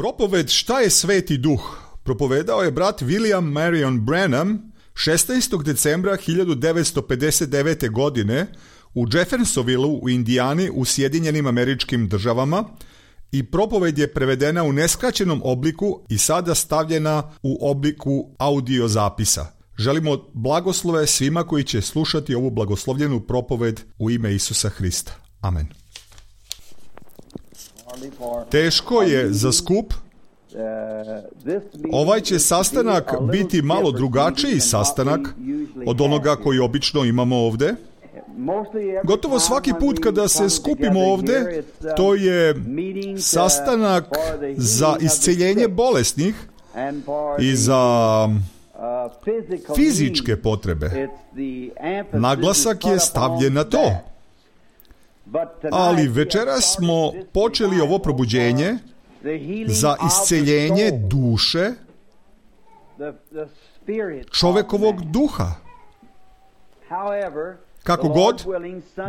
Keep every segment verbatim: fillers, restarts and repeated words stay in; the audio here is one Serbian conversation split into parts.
Propoved Šta je Sveti Duh propovedao je brat William Marion Branham šesnaestog decembra hiljadu devetsto pedeset devete. godine u Jeffersonvilleu u Indijani u Sjedinjenim Američkim Državama i propoved je prevedena u neskraćenom obliku i sada stavljena u obliku audio zapisa. Želimo blagoslove svima koji će slušati ovu blagoslovljenu propoved u ime Isusa Hrista. Amen. Teško je za skup. Ovaj će sastanak biti malo drugačiji sastanak od onoga koji obično imamo ovde. Gotovo svaki put kada se skupimo ovde, to je sastanak za isceljenje bolesnih i za fizičke potrebe. Naglasak je stavljen na to. Ali večeras smo počeli ovo probuđenje za isceljenje duše čovekovog duha. Kako god,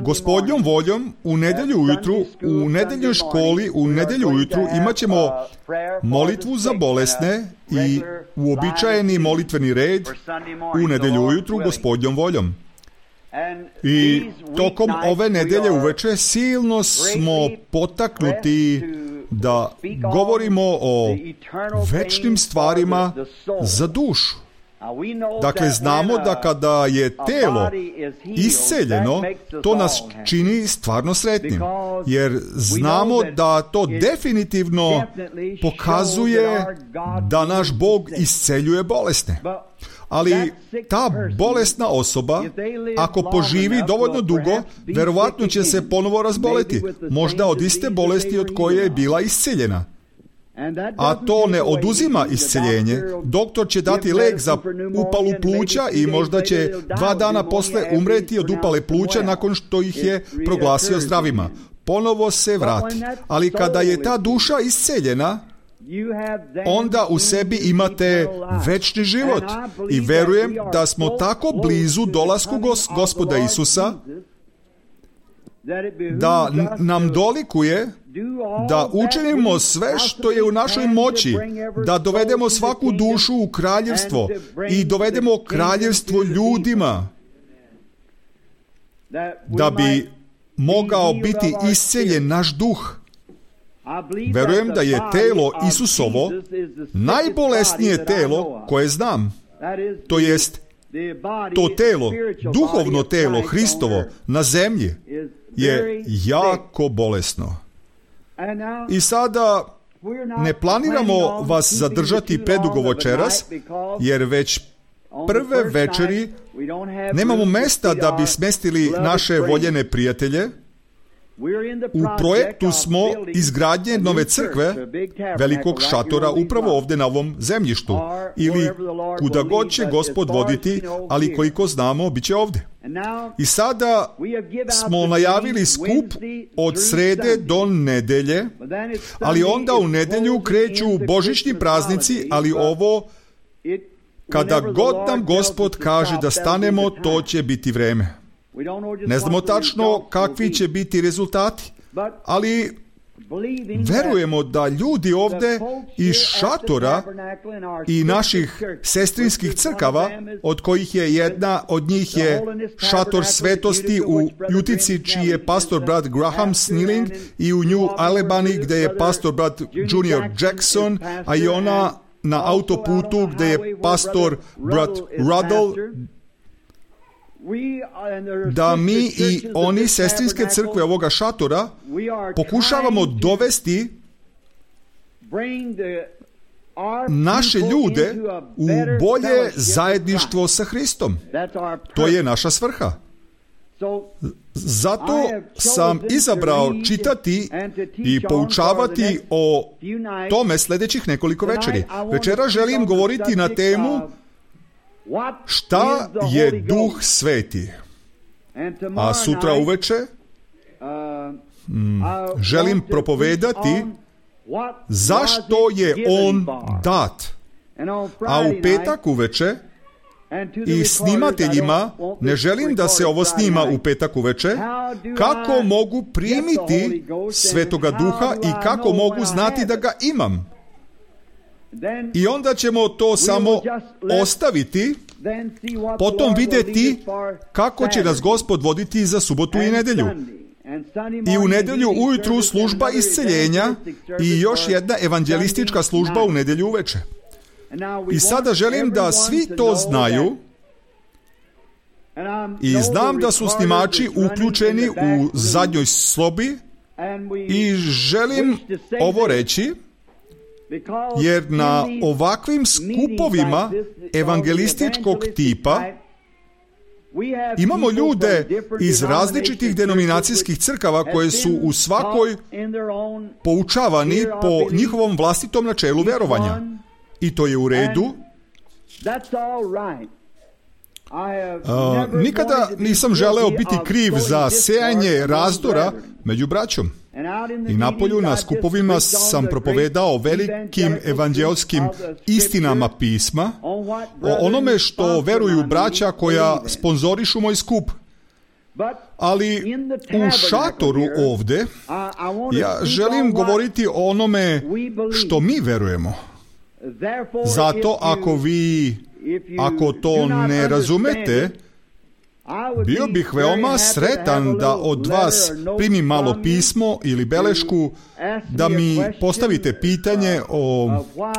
Gospodnjom voljom, u nedelju ujutru, u nedeljnoj školi, u nedelju ujutru imat ćemo molitvu za bolesne i uobičajeni molitveni red u nedelju ujutru Gospodnjom voljom. I tokom ove nedelje uveče silno smo potaknuti da govorimo o večnim stvarima za dušu. Dakle, znamo da kada je telo isceljeno, to nas čini stvarno sretnim, jer znamo da to definitivno pokazuje da naš Bog isceljuje bolesne. Ali ta bolesna osoba, ako poživi dovoljno dugo, verovatno će se ponovo razboleti, možda od iste bolesti od koje je bila isceljena. A to ne oduzima isceljenje. Doktor će dati lek za upalu pluća i možda će dva dana posle umreti od upale pluća nakon što ih je proglasio zdravima. Ponovo se vrati. Ali kada je ta duša isceljena, onda u sebi imate večni život. I verujem da smo tako blizu dolasku gos- Gospoda Isusa, da nam dolikuje da učinimo sve što je u našoj moći, da dovedemo svaku dušu u kraljevstvo i dovedemo kraljevstvo ljudima, da bi mogao biti isceljen naš duh. Verujem da je telo Isusovo najbolesnije telo koje znam. To jest, to telo, duhovno telo Hristovo na zemlji je jako bolesno. I sada ne planiramo vas zadržati predugo večeras, jer već prve večeri nemamo mesta da bi smestili naše voljene prijatelje. U projektu smo izgradnje nove crkve, velikog šatora, upravo ovdje na ovom zemljištu, ili kuda god će Gospod voditi, ali koliko znamo, bit će ovdje. I sada smo najavili skup od srede do nedelje, ali onda u nedelju kreću božićni praznici, ali ovo, kada god nam Gospod kaže da stanemo, to će biti vreme. Ne znamo tačno kakvi će biti rezultati, ali verujemo da ljudi ovdje iz šatora i naših sestrinskih crkava, od kojih je jedna od njih je šator svetosti u Utici, čiji je pastor brat Graham Snelling, i u New Albany, gdje je pastor brat Junior Jackson, a i ona na autoputu gdje je pastor brat Ruddle, da mi i oni sestrinske crkve ovoga šatora pokušavamo dovesti naše ljude u bolje zajedništvo sa Hristom. To je naša svrha. Zato sam izabrao čitati i poučavati o tome sljedećih nekoliko večeri. Večera želim govoriti na temu šta je Duh Sveti. A sutra uveče mm, želim propovedati zašto je On dat. A u petak uveče i snimateljima, ne želim da se ovo snima u petak uveče, kako mogu primiti Svetoga Duha i kako mogu znati da ga imam. I onda ćemo to samo ostaviti, potom vidjeti kako će nas Gospod voditi za subotu i nedjelju. I u nedjelju ujutru služba isceljenja i još jedna evanđelistička služba u nedjelju uveče. I sada želim da svi to znaju, i znam da su snimači uključeni u zadnjoj sobi, i želim ovo reći, jer na ovakvim skupovima evangelističkog tipa imamo ljude iz različitih denominacijskih crkava koje su u svakoj poučavani po njihovom vlastitom načelu vjerovanja. I to je u redu. Uh, nikada nisam želeo biti kriv za sejanje razdora među braćom. I napolju na skupovima sam propovedao velikim evanđelskim istinama pisma, o onome što veruju braća koja sponzorišu moj skup. Ali u šatoru ovdje ja želim govoriti o onome što mi verujemo. Zato ako vi, ako to ne razumete, bio bih veoma sretan da od vas primim malo pismo ili belešku, da mi postavite pitanje o,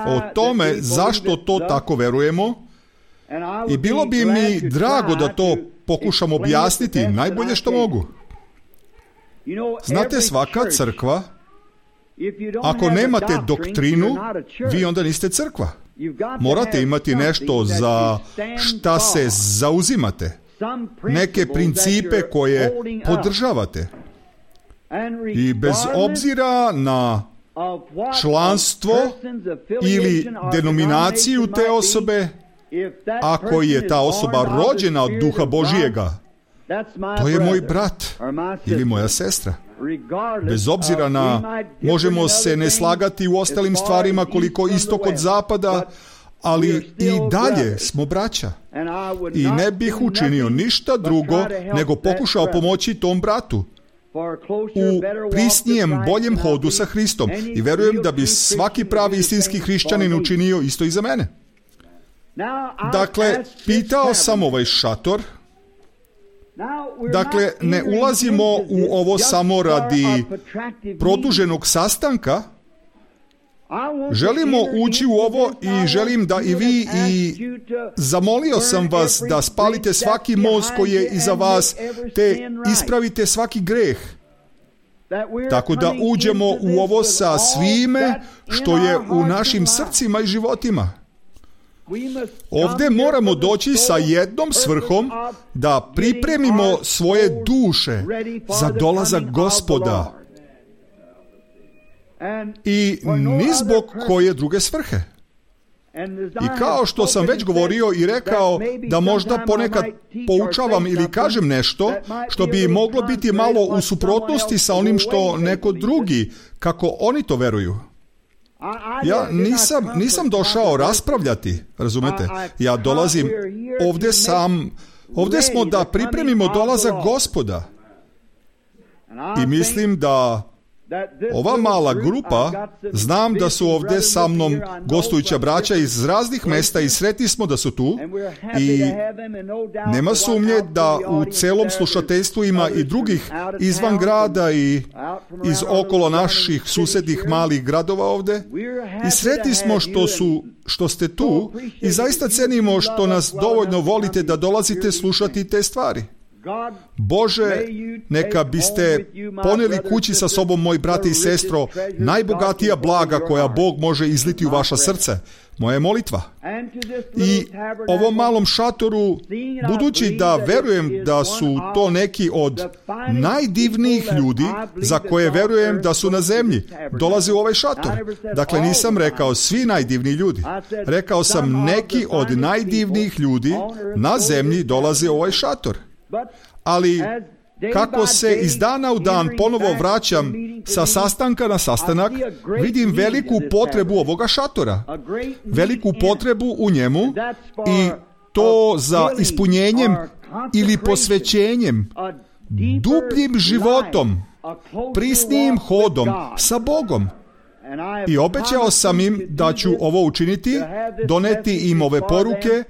o tome zašto to tako verujemo, i bilo bi mi drago da to pokušam objasniti najbolje što mogu. Znate, svaka crkva, ako nemate doktrinu, vi onda niste crkva. Morate imati nešto za šta se zauzimate, neke principe koje podržavate. I bez obzira na članstvo ili denominaciju te osobe, ako je ta osoba rođena od Duha Božijega, to je moj brat ili moja sestra. Bez obzira na, možemo se ne slagati u ostalim stvarima koliko istok od zapada, ali i dalje smo braća. I ne bih učinio ništa drugo nego pokušao pomoći tom bratu u prisnijem, boljem hodu sa Hristom. I verujem da bi svaki pravi istinski hrišćanin učinio isto i za mene. Dakle, pitao sam ovaj šator. Dakle, ne ulazimo u ovo samo radi produženog sastanka. Želimo ući u ovo i želim da i vi, i zamolio sam vas da spalite svaki most koji je iza vas, te ispravite svaki greh. Tako da uđemo u ovo sa svime što je u našim srcima i životima. Ovdje moramo doći sa jednom svrhom, da pripremimo svoje duše za dolazak Gospoda. I ni zbog koje druge svrhe. I kao što sam već govorio i rekao, da možda ponekad poučavam ili kažem nešto što bi moglo biti malo u suprotnosti sa onim što neko drugi, kako oni to veruju. Ja nisam, nisam došao raspravljati, razumete? Ja dolazim ovdje sam, ovdje smo da pripremimo dolazak Gospoda. I mislim da ova mala grupa, znam da su ovdje sa mnom gostujuća braća iz raznih mjesta i sretni smo da su tu, i nema sumnje da u celom slušateljstvu ima i drugih izvan grada i iz okolo naših susjednih malih gradova ovdje, i sretni smo što su, što ste tu, i zaista cenimo što nas dovoljno volite da dolazite slušati te stvari. Bože, neka biste poneli kući sa sobom, moj brate i sestro, najbogatija blaga koja Bog može izliti u vaša srce. Moja molitva. I ovom malom šatoru, budući da verujem da su to neki od najdivnijih ljudi za koje verujem da su na zemlji, dolaze u ovaj šator. Dakle, nisam rekao svi najdivniji ljudi. Rekao sam neki od najdivnijih ljudi na zemlji dolaze u ovaj šator. Ali kako se iz dana u dan ponovo vraćam sa sastanka na sastanak, vidim veliku potrebu ovoga šatora, veliku potrebu u njemu, i to za ispunjenjem ili posvećenjem, dubljim životom, prisnijim hodom sa Bogom. I obećao sam im da ću ovo učiniti, doneti im ove poruke,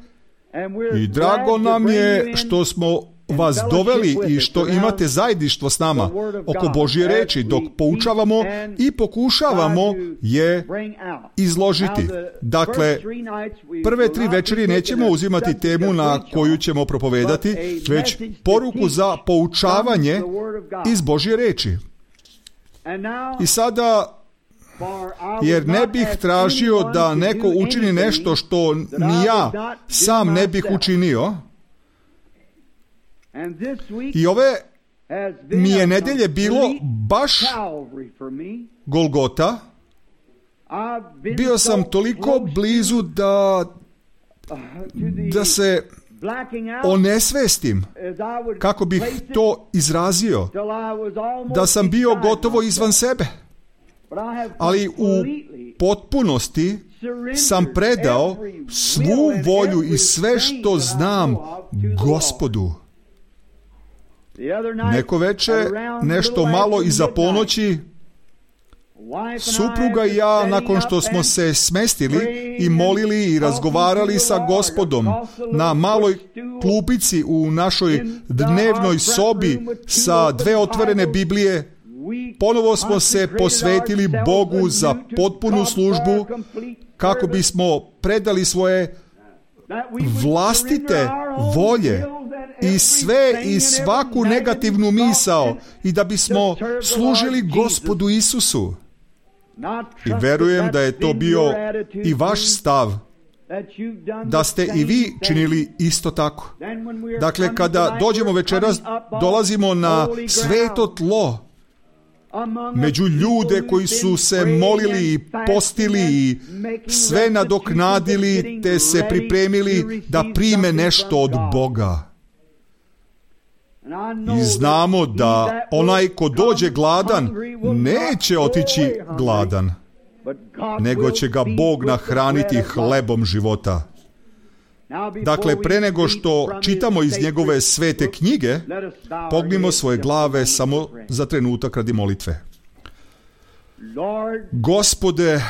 i drago nam je što smo vas doveli i što imate zajedništvo s nama oko Božje reči dok poučavamo i pokušavamo je izložiti. Dakle, prve tri večeri nećemo uzimati temu na koju ćemo propovedati, već poruku za poučavanje iz Božje reči. I sada, jer ne bih tražio da neko učini nešto što ni ja sam ne bih učinio, i ove mi je nedelje bilo baš Golgota. Bio sam toliko blizu da da se onesvestim, kako bih to izrazio, da sam bio gotovo izvan sebe. Ali u potpunosti sam predao svu volju i sve što znam Gospodu. Neko veče, nešto malo iza ponoći, supruga i ja, nakon što smo se smestili i molili i razgovarali sa Gospodom na maloj klupici u našoj dnevnoj sobi sa dve otvorene Biblije, ponovo smo se posvetili Bogu za potpunu službu, kako bismo predali svoje vlastite volje i sve i svaku negativnu misao, i da bismo služili Gospodu Isusu. I verujem da je to bio i vaš stav, da ste i vi činili isto tako. Dakle, kada dođemo večeras, dolazimo na sveto tlo, među ljude koji su se molili i postili i sve nadoknadili, te se pripremili da prime nešto od Boga. I znamo da onaj ko dođe gladan neće otići gladan, nego će ga Bog nahraniti hlebom života. Dakle, pre nego što čitamo iz njegove svete knjige, pognimo svoje glave samo za trenutak radi molitve. Gospode,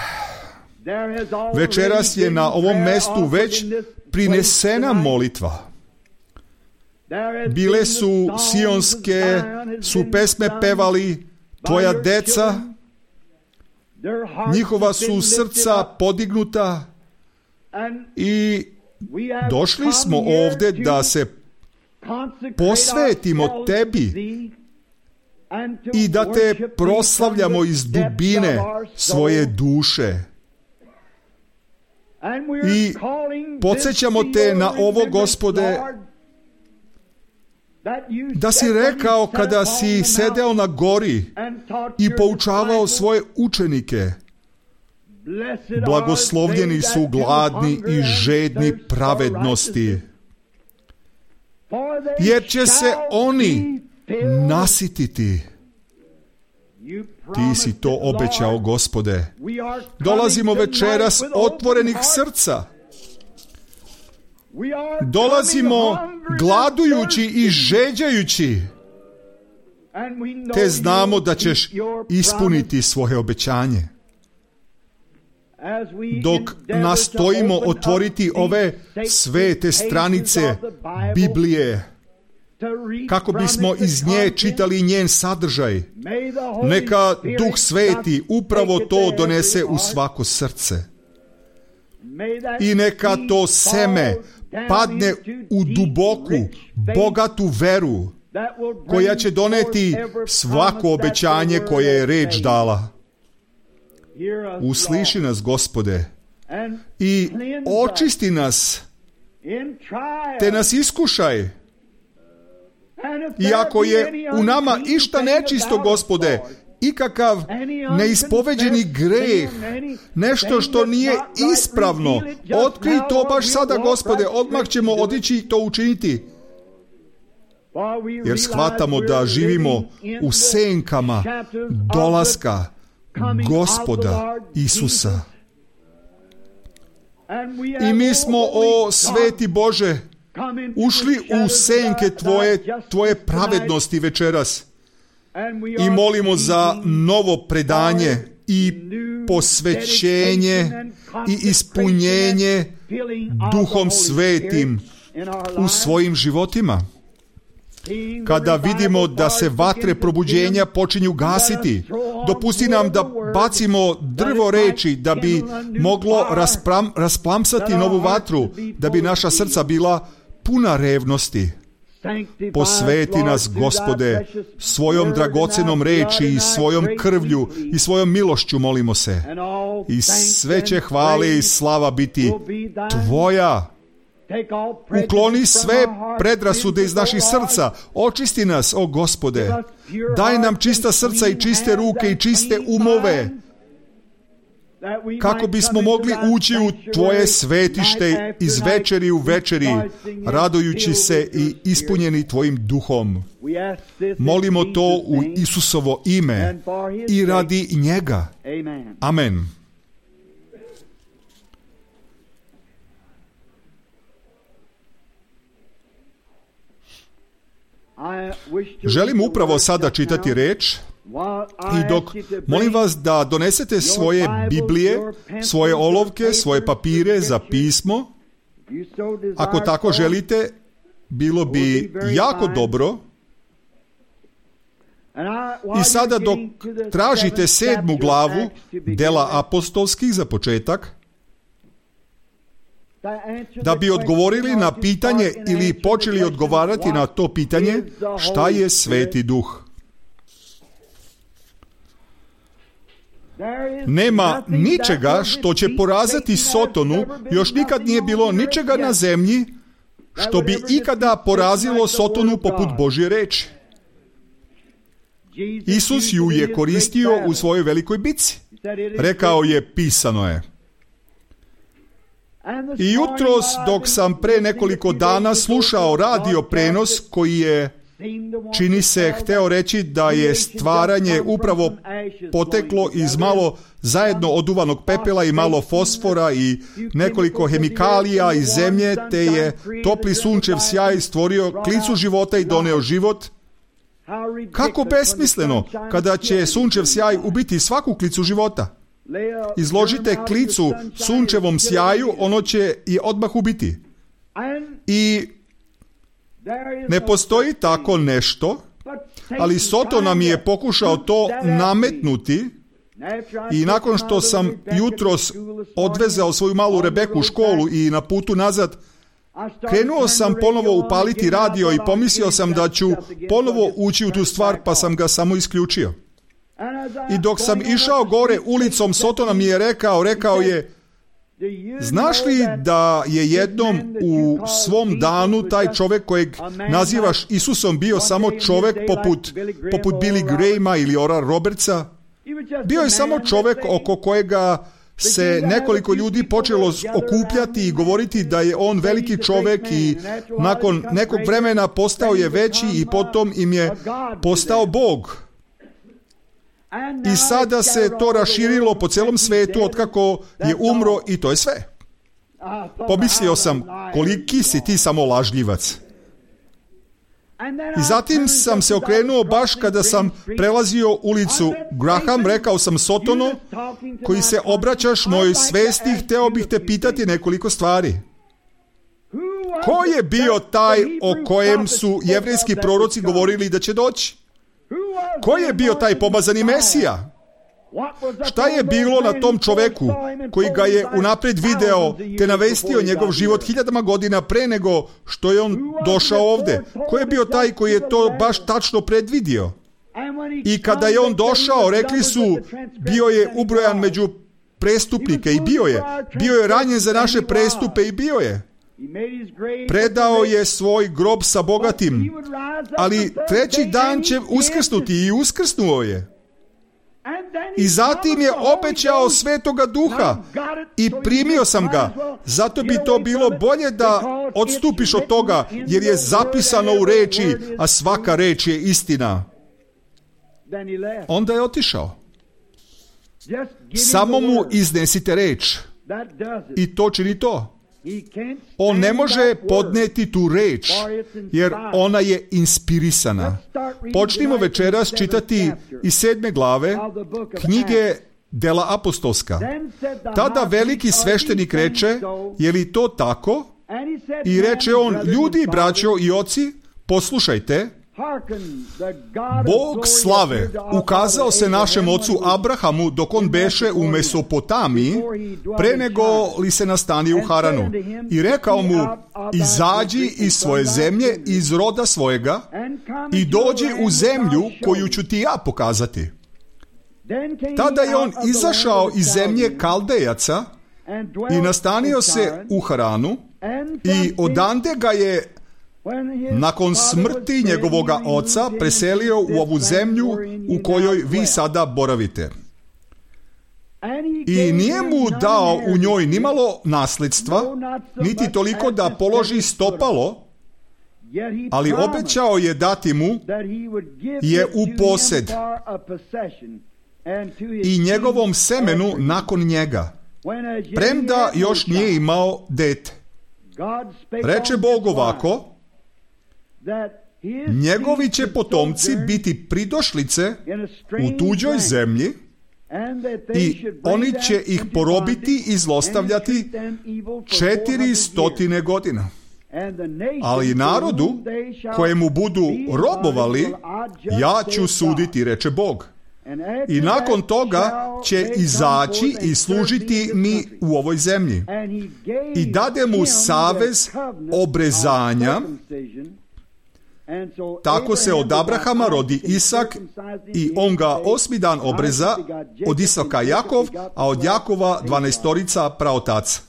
večeras je na ovom mestu već prinesena molitva. Bile su sionske, su pesme pevali tvoja deca, njihova su srca podignuta, i došli smo ovde da se posvetimo tebi i da te proslavljamo iz dubine svoje duše. I podsjećamo te na ovo, Gospode, da si rekao kada si sedeo na gori i poučavao svoje učenike: blagoslovljeni su gladni i žedni pravednosti, jer će se oni nasititi. Ti si to obećao, Gospode. Dolazimo večeras otvorenih srca. Dolazimo gladujući i žeđajući, te znamo da ćeš ispuniti svoje obećanje. Dok nastojimo otvoriti ove svete stranice Biblije, kako bismo iz nje čitali njen sadržaj, neka Duh Sveti upravo to donese u svako srce. I neka to seme padne u duboku, bogatu veru, koja će doneti svako obećanje koje je reč dala. Usliši nas, Gospode, i očisti nas, te nas iskušaj. I ako je u nama išta nečisto, Gospode, ikakav neispoveđeni greh, nešto što nije ispravno, otkrij to baš sada, Gospode, odmah ćemo otići i to učiniti. Jer shvatamo da živimo u senkama dolaska Gospoda Isusa. I mi smo, o sveti Bože, ušli u senke Tvoje, Tvoje pravednosti večeras. I molimo za novo predanje i posvećenje i ispunjenje Duhom Svetim u svojim životima. Kada vidimo da se vatre probuđenja počinju gasiti, dopusti nam da bacimo drvo reči da bi moglo raspram, rasplamsati novu vatru, da bi naša srca bila puna revnosti. Posveti nas, Gospode, svojom dragocenom reči i svojom krvlju i svojom milošću, molimo se. I sve će hvale i slava biti Tvoja. Ukloni sve predrasude iz naših srca. Očisti nas, o Gospode. Daj nam čista srca i čiste ruke i čiste umove, kako bismo mogli ući u Tvoje svetište iz večeri u večeri, radujući se i ispunjeni Tvojim duhom. Molimo to u Isusovo ime i radi njega. Amen. Želim upravo sada čitati reč i dok molim vas da donesete svoje Biblije, svoje olovke, svoje papire za pismo. Ako tako želite, bilo bi jako dobro. I sada dok tražite sedmu glavu dela apostolskih za početak, da bi odgovorili na pitanje ili počeli odgovarati na to pitanje, šta je Sveti Duh? Nema ničega što će poraziti Sotonu, još nikad nije bilo ničega na zemlji što bi ikada porazilo Sotonu poput Božje reči. Isus ju je koristio u svojoj velikoj bitci. Rekao je, pisano je. I jutros, dok sam pre nekoliko dana slušao radio prenos koji je, čini se, hteo reći da je stvaranje upravo poteklo iz malo zajedno oduvanog pepela i malo fosfora i nekoliko hemikalija iz zemlje, te je topli sunčev sjaj stvorio klicu života i doneo život. Kako besmisleno kada će sunčev sjaj ubiti svaku klicu života. Izložite klicu sunčevom sjaju, ono će je odmah ubiti. I ne postoji tako nešto, ali Soton nam je pokušao to nametnuti i nakon što sam jutros odvezao svoju malu Rebeku u školu i na putu nazad, krenuo sam ponovo upaliti radio i pomislio sam da ću ponovo ući u tu stvar, pa sam ga samo isključio. I dok sam išao gore ulicom, Sotona mi je rekao, rekao je, znaš li da je jednom u svom danu taj čovjek kojeg nazivaš Isusom bio samo čovjek poput, poput Billy Grahama ili Oral Robertsa? Bio je samo čovjek oko kojega se nekoliko ljudi počelo okupljati i govoriti da je on veliki čovjek i nakon nekog vremena postao je veći i potom im je postao Bog. I sada se to raširilo po celom svetu otkako je umro i to je sve. Pomislio sam, koliki si ti samo lažljivac. I zatim sam se okrenuo baš kada sam prelazio ulicu Graham, rekao sam Sotonu, koji se obraćaš mojoj svesti, hteo bih te pitati nekoliko stvari. Ko je bio taj o kojem su jevrejski proroci govorili da će doći? Ko je bio taj pomazani Mesija? Šta je bilo na tom čoveku koji ga je unapred video te navestio njegov život hiljadama godina pre nego što je on došao ovde? Ko je bio taj koji je to baš tačno predvidio? I kada je on došao, rekli su, bio je ubrojan među prestupnike i bio je. Bio je ranjen za naše prestupe i bio je. Predao je svoj grob sa bogatim, ali treći dan će uskrsnuti i uskrsnuo je. I zatim je obećao Svetoga Duha i primio sam ga. Zato bi to bilo bolje da odstupiš od toga, jer je zapisano u reči, a svaka reč je istina. Onda je otišao. Samo mu iznesite reč i to čini to. On ne može podneti tu reč, jer ona je inspirisana. Počnimo večeras čitati iz sedme glave knjige Dela apostolska. Tada veliki sveštenik reče, je li to tako? I reče on, ljudi, braćo i oci, poslušajte, Bog slave ukazao se našem ocu Abrahamu dok on beše u Mesopotamiji, pre nego li se nastani u Haranu. I rekao mu, izađi iz svoje zemlje, iz roda svojega i dođi u zemlju koju ću ti ja pokazati. Tada je on izašao iz zemlje Kaldejaca i nastanio se u Haranu i odande ga je nakon smrti njegovoga oca preselio u ovu zemlju u kojoj vi sada boravite. I nije mu dao u njoj nimalo nasljedstva, niti toliko da položi stopalo, ali obećao je dati mu je u posed i njegovom semenu nakon njega, premda još nije imao dete. Reče Bog ovako, njegovi će potomci biti pridošlice u tuđoj zemlji i oni će ih porobiti i zlostavljati četiri stotine godina. Ali narodu kojemu budu robovali, ja ću suditi, reče Bog. I nakon toga će izaći i služiti mi u ovoj zemlji. I dade mu savez obrezanja. Tako se od Abrahama rodi Isak i on ga osmi dan obreza, od Isaka Jakov, a od Jakova dvanaestorica praotaca.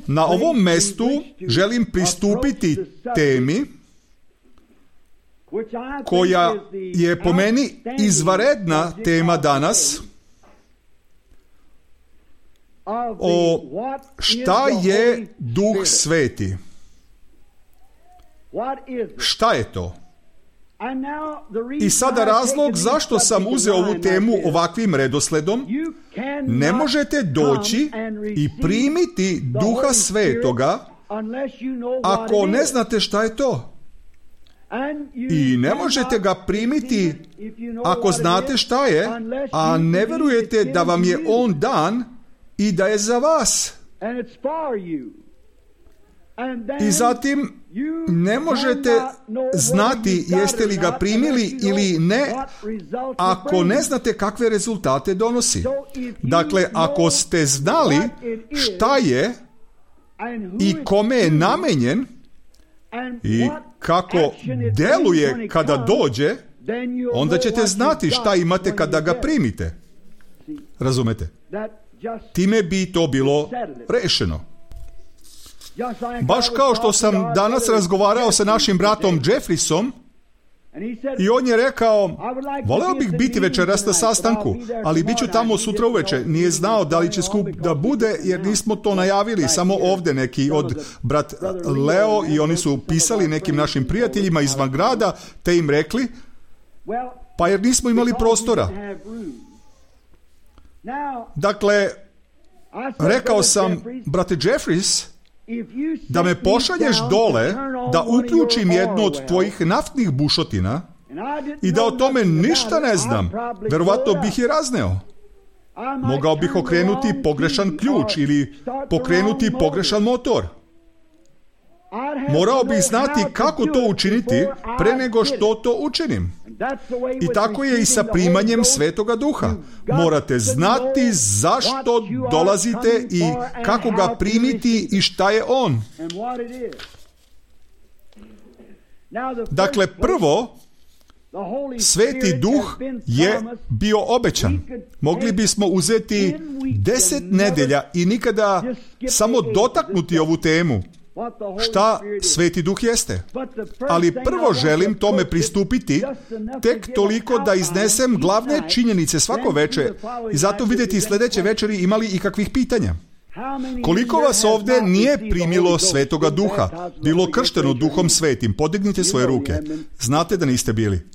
Na ovom mestu želim pristupiti temi koja je po meni izvanredna tema danas, o šta je Duh Sveti. Šta je to? I sada razlog zašto sam uzeo ovu temu ovakvim redosledom, ne možete doći i primiti Duha Svetoga ako ne znate šta je to. I ne možete ga primiti ako znate šta je, a ne verujete da vam je on dan i da je za vas. I zatim ne možete znati jeste li ga primili ili ne ako ne znate kakve rezultate donosi. Dakle, ako ste znali šta je i kome je namenjen i kako deluje kada dođe, onda ćete znati šta imate kada ga primite. Razumete? Time bi to bilo rešeno. Baš kao što sam danas razgovarao sa našim bratom Jeffrisom i on je rekao, voleo bih biti večeras na sastanku, ali bit ću tamo sutra uveče. Nije znao da li će skup da bude, jer nismo to najavili, samo ovdje neki od brat Leo i oni su pisali nekim našim prijateljima izvan grada, te im rekli, pa jer nismo imali prostora. Dakle, rekao sam, brate Jeffries, da me pošalješ dole da uključim jednu od tvojih naftnih bušotina i da o tome ništa ne znam, verovatno bih je razneo. Mogao bih okrenuti pogrešan ključ ili pokrenuti pogrešan motor. Morao bih znati kako to učiniti pre nego što to učinim. I tako je i sa primanjem Svetoga Duha. Morate znati zašto dolazite i kako ga primiti i šta je on. Dakle, prvo, Sveti Duh je bio obećan. Mogli bismo uzeti deset nedelja i nikada samo dotaknuti ovu temu. Šta Sveti Duh jeste? Ali prvo želim tome pristupiti tek toliko da iznesem glavne činjenice svako veče i zato vidjeti sljedeće večeri imali i kakvih pitanja. Koliko vas ovdje nije primilo Svetoga Duha, bilo kršteno Duhom Svetim? Podignite svoje ruke. Znate da niste bili.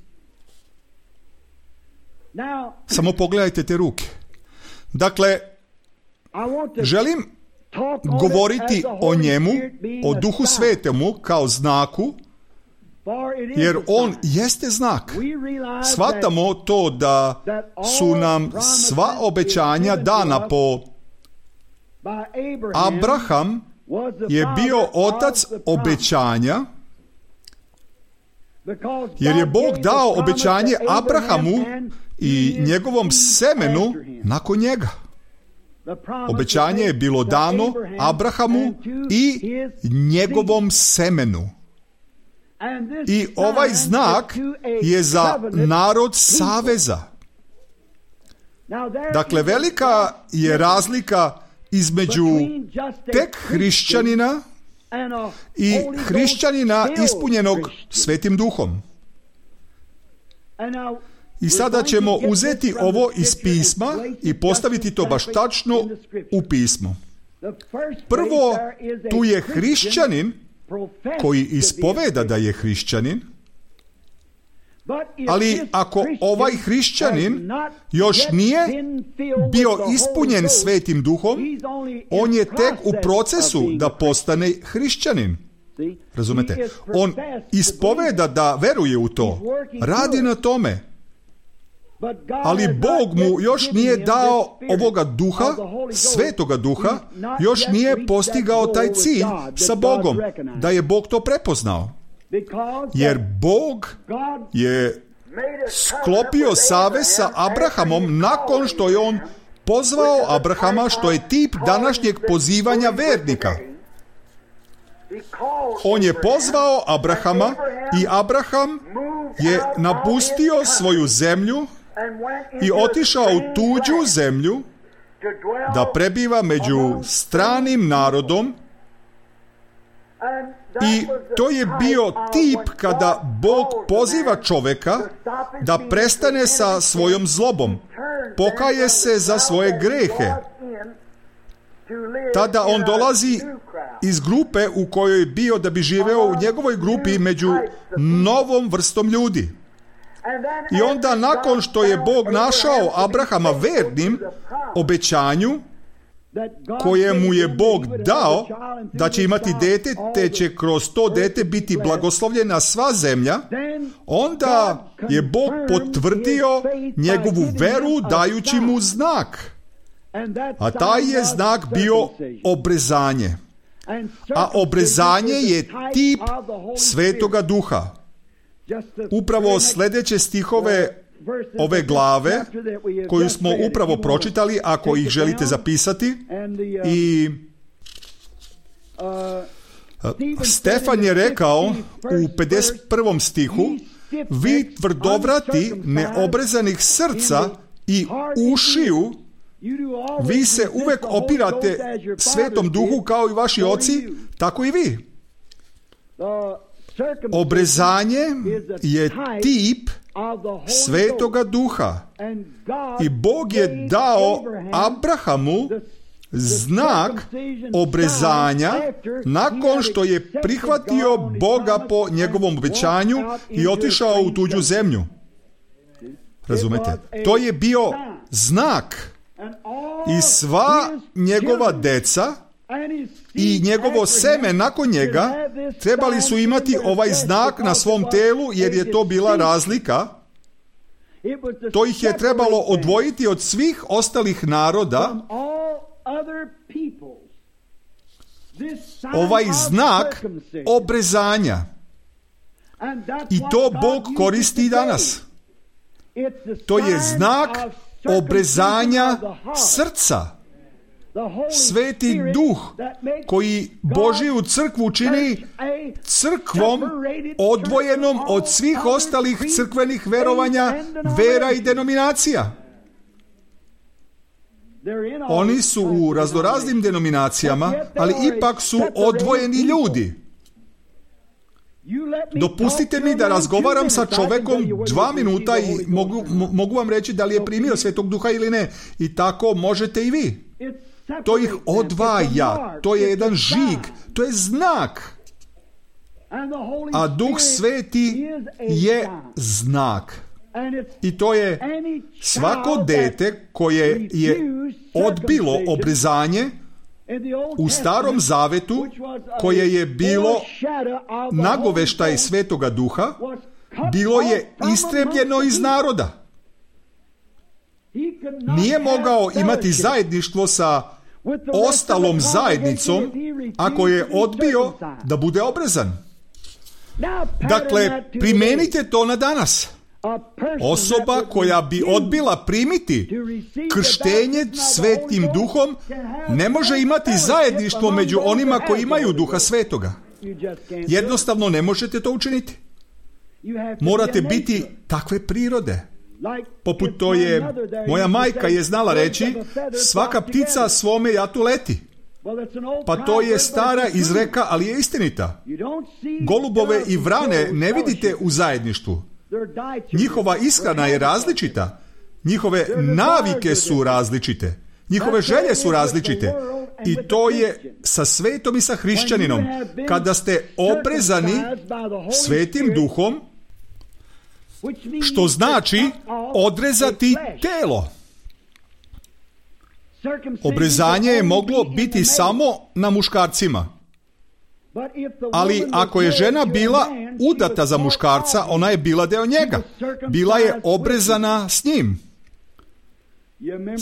Samo pogledajte te ruke. Dakle, želim govoriti o njemu, o Duhu Svetemu kao znaku jer on jeste znak. Shvatamo to da su nam sva obećanja dana po Abraham je bio otac obećanja, jer je Bog dao obećanje Abrahamu i njegovom semenu nakon njega. Obećanje je bilo dano Abrahamu i njegovom semenu. I ovaj znak je za narod saveza. Dakle, velika je razlika između tek hrišćanina i hrišćanina ispunjenog Svetim Duhom. I sada ćemo uzeti ovo iz pisma i postaviti to baš tačno u pismo. Prvo, tu je hrišćanin koji ispoveda da je hrišćanin, ali ako ovaj hrišćanin još nije bio ispunjen Svetim Duhom, on je tek u procesu da postane hrišćanin. Razumete? On ispoveda da veruje u to, radi na tome, ali Bog mu još nije dao ovoga duha, Svetoga duha, još nije postigao taj cilj sa Bogom, da je Bog to prepoznao. Jer Bog je sklopio savez sa Abrahamom nakon što je on pozvao Abrahama, što je tip današnjeg pozivanja vernika. On je pozvao Abrahama i Abraham je napustio svoju zemlju i otišao u tuđu zemlju da prebiva među stranim narodom. I to je bio tip kada Bog poziva čovjeka da prestane sa svojom zlobom, pokaje se za svoje grehe. Tada on dolazi iz grupe u kojoj je bio da bi živeo u njegovoj grupi među novom vrstom ljudi. I onda nakon što je Bog našao Abrahama vernim obećanju koje mu je Bog dao da će imati dete, te će kroz to dete biti blagoslovljena sva zemlja, onda je Bog potvrdio njegovu veru dajući mu znak. A taj je znak bio obrezanje. A obrezanje je tip Svetoga Duha. Upravo sljedeće stihove ove glave koju smo upravo pročitali, ako ih želite zapisati, i Stefan je rekao u pedeset prvom stihu: vi tvrdovrati neobrezanih srca i ušiju, vi se uvek opirate Svetom Duhu kao i vaši oci, tako i vi. Obrezanje je tip Svetoga Duha i Bog je dao Abrahamu znak obrezanja nakon što je prihvatio Boga po njegovom obećanju i otišao u tuđu zemlju. Razumete? To je bio znak i sva njegova deca i njegovo seme nakon njega trebali su imati ovaj znak na svom telu, jer je to bila razlika. To ih je trebalo odvojiti od svih ostalih naroda. Ovaj znak obrezanja. I to Bog koristi danas. To je znak obrezanja srca. Sveti Duh koji Božju crkvu čini crkvom odvojenom od svih ostalih crkvenih verovanja, vera i denominacija. Oni su u raznoraznim denominacijama, ali ipak su odvojeni ljudi. Dopustite mi da razgovaram sa čovjekom dva minuta i mogu, mogu vam reći da li je primio Svetog Duha ili ne. I tako možete i vi. To ih odvaja, to je jedan žig, to je znak. A Duh Sveti je znak. I to je svako dete koje je odbilo obrezanje, U Starom Zavetu, koje je bilo nagoveštaj Svetoga Duha, bilo je istrebljeno iz naroda. Nije mogao imati zajedništvo sa ostalom zajednicom ako je odbio da bude obrezan. Dakle, primenite to na danas. Osoba koja bi odbila primiti krštenje Svetim Duhom ne može imati zajedništvo među onima koji imaju Duha Svetoga. Jednostavno ne možete to učiniti. Morate biti takve prirode. Poput to je, moja majka je znala reći, svaka ptica svome jatu leti. Pa to je stara izreka, ali je istinita. Golubove i vrane ne vidite u zajedništvu. Njihova ishrana je različita. Njihove navike su različite. Njihove želje su različite. I to je sa svetom i sa hrišćaninom. Kada ste obrezani Svetim Duhom, što znači odrezati telo. Obrezanje je moglo biti samo na muškarcima. Ali ako je žena bila udata za muškarca, ona je bila deo njega. Bila je obrezana s njim.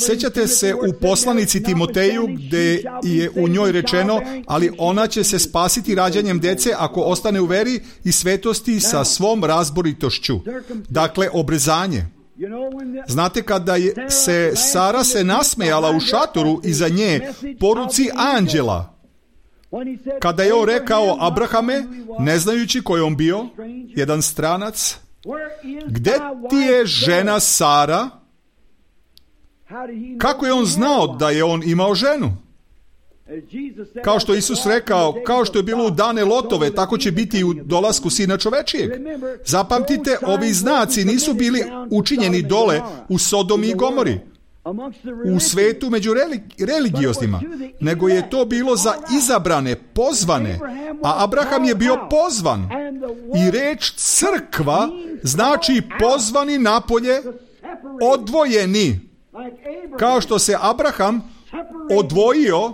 Sjećate se u poslanici Timoteju gdje je u njoj rečeno, ali ona će se spasiti rađanjem dece ako ostane u veri i svetosti sa svom razboritošću. Dakle, obrezanje. Znate, kada je se Sara se nasmejala u šatoru iza nje poruci anđela, kada je on rekao, Abrahame, ne znajući ko je on bio, jedan stranac, gde ti je žena Sara? Kako je on znao da je on imao ženu? Kao što Isus rekao, kao što je bilo u dane Lotove, tako će biti i u dolasku Sina čovečijeg. Zapamtite, ovi znaci nisu bili učinjeni dole u Sodomi i Gomori, u svetu među religioznima, nego je to bilo za izabrane, pozvane, a Abraham je bio pozvan. I reč crkva znači pozvani napolje, odvojeni. Kao što se Abraham odvojio,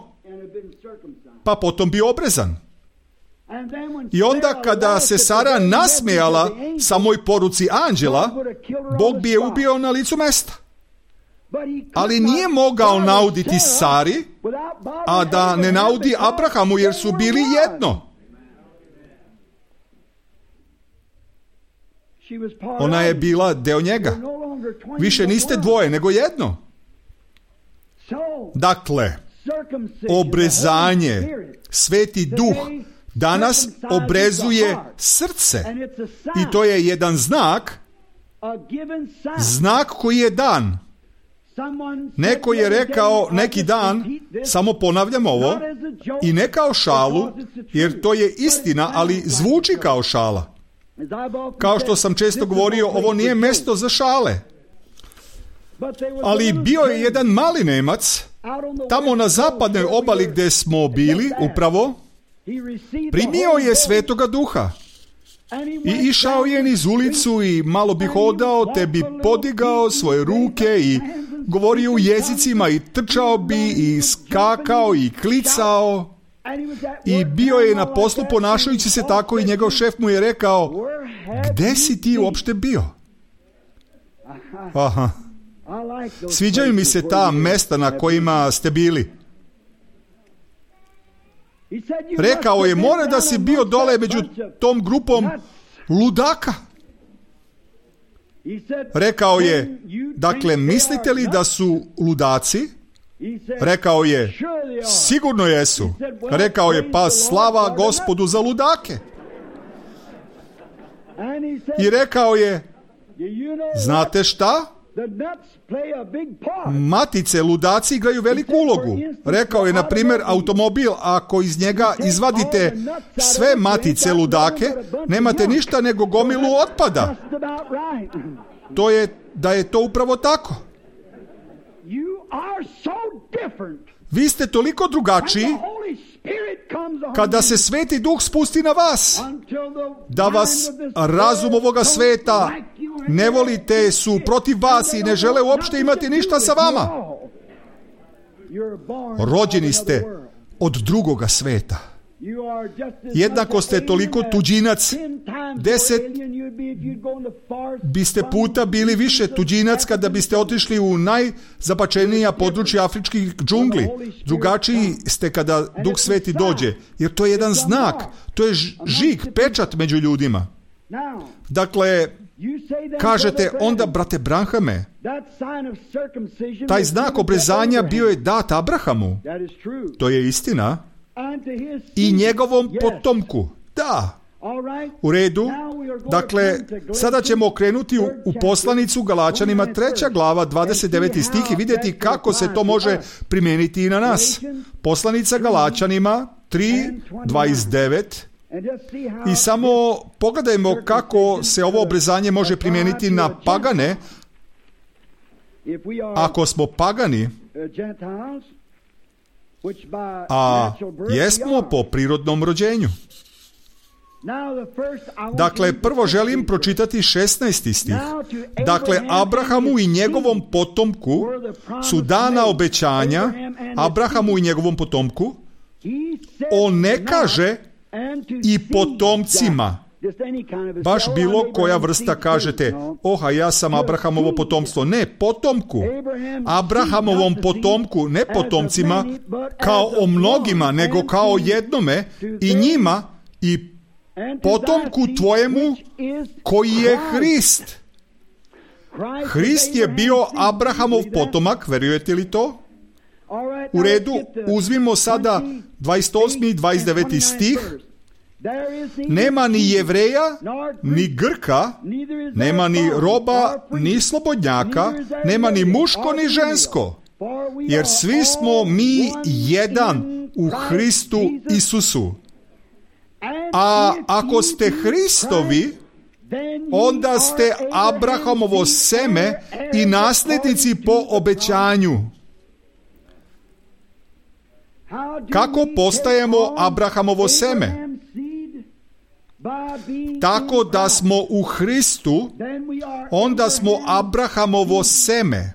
pa potom bio obrezan. I onda kada se Sara nasmejala samoj poruci anđela, Bog bi je ubio na licu mesta. Ali nije mogao nauditi Sari, a da ne naudi Abrahamu, jer su bili jedno. Ona je bila deo njega. Više niste dvoje, nego jedno. Dakle, obrezanje, Sveti Duh danas obrezuje srce. I to je jedan znak, znak koji je dan. Neko je rekao neki dan, samo ponavljam ovo, i ne kao šalu, jer to je istina, ali zvuči kao šala. Kao što sam često govorio, ovo nije mesto za šale. Ali bio je jedan mali Nemac, tamo na zapadnoj obali gdje smo bili, upravo, primio je Svetoga Duha. I išao je niz ulicu i malo bi hodao, te bi podigao svoje ruke i govorio u jezicima i trčao bi i skakao i klicao. I bio je na poslu ponašajući se tako i njegov šef mu je rekao, gde si ti uopšte bio? Aha. Sviđaju mi se ta mesta na kojima ste bili. Rekao je, mora da si bio dole među tom grupom ludaka. Rekao je, dakle, mislite li da su ludaci? Rekao je, sigurno jesu. Rekao je, pa slava Gospodu za ludake. I rekao je, znate šta? Matice, ludaci igraju veliku ulogu. Rekao je, na primjer, automobil, ako iz njega izvadite sve matice ludake, nemate ništa nego gomilu otpada. To je da je to upravo tako. Vi ste toliko drugačiji kada se Sveti Duh spusti na vas, da vas razum ovoga sveta ne volite, su protiv vas i ne žele uopšte imati ništa sa vama. Rođeni ste od drugoga sveta. Jednako ste toliko tuđinac, deset biste puta bili više tuđinac kada biste otišli u najzabačenija područja afričkih džungli. Drugačiji ste kada Duh Sveti dođe, jer to je jedan znak, to je žig, pečat među ljudima. Dakle, kažete onda, brate Branhame, taj znak obrezanja bio je dat Abrahamu. To je istina. I njegovom potomku. Da. U redu. Dakle, sada ćemo okrenuti u, u poslanicu Galačanima treća glava, dvadeset deveti stih i vidjeti kako se to može primijeniti i na nas. Poslanica Galačanima tri, dvadeset devet. I samo pogledajmo kako se ovo obrezanje može primijeniti na pagane. Ako smo pagani, a jesmo po prirodnom rođenju. Dakle, prvo želim pročitati šesnaesti stih. Dakle, Abrahamu i njegovom potomku su dana obećanja, Abrahamu i njegovom potomku, on ne kaže i potomcima. Baš bilo koja vrsta kažete, oha, ja sam Abrahamovo potomstvo. Ne, potomku. Abrahamovom potomku, ne potomcima, kao o mnogima, nego kao jednome, i njima, i potomku tvojemu, koji je Hrist. Hrist je bio Abrahamov potomak, verujete li to? U redu, uzmimo sada dvadeset osmi i dvadeset deveti stih. Nema ni Jevreja, ni Grka, nema ni roba, ni slobodnjaka, nema ni muško, ni žensko, jer svi smo mi jedan u Hristu Isusu. A ako ste Hristovi, onda ste Abrahamovo seme i nasljednici po obećanju. Kako postajemo Abrahamovo seme? Tako da smo u Hristu, onda smo Abrahamovo seme.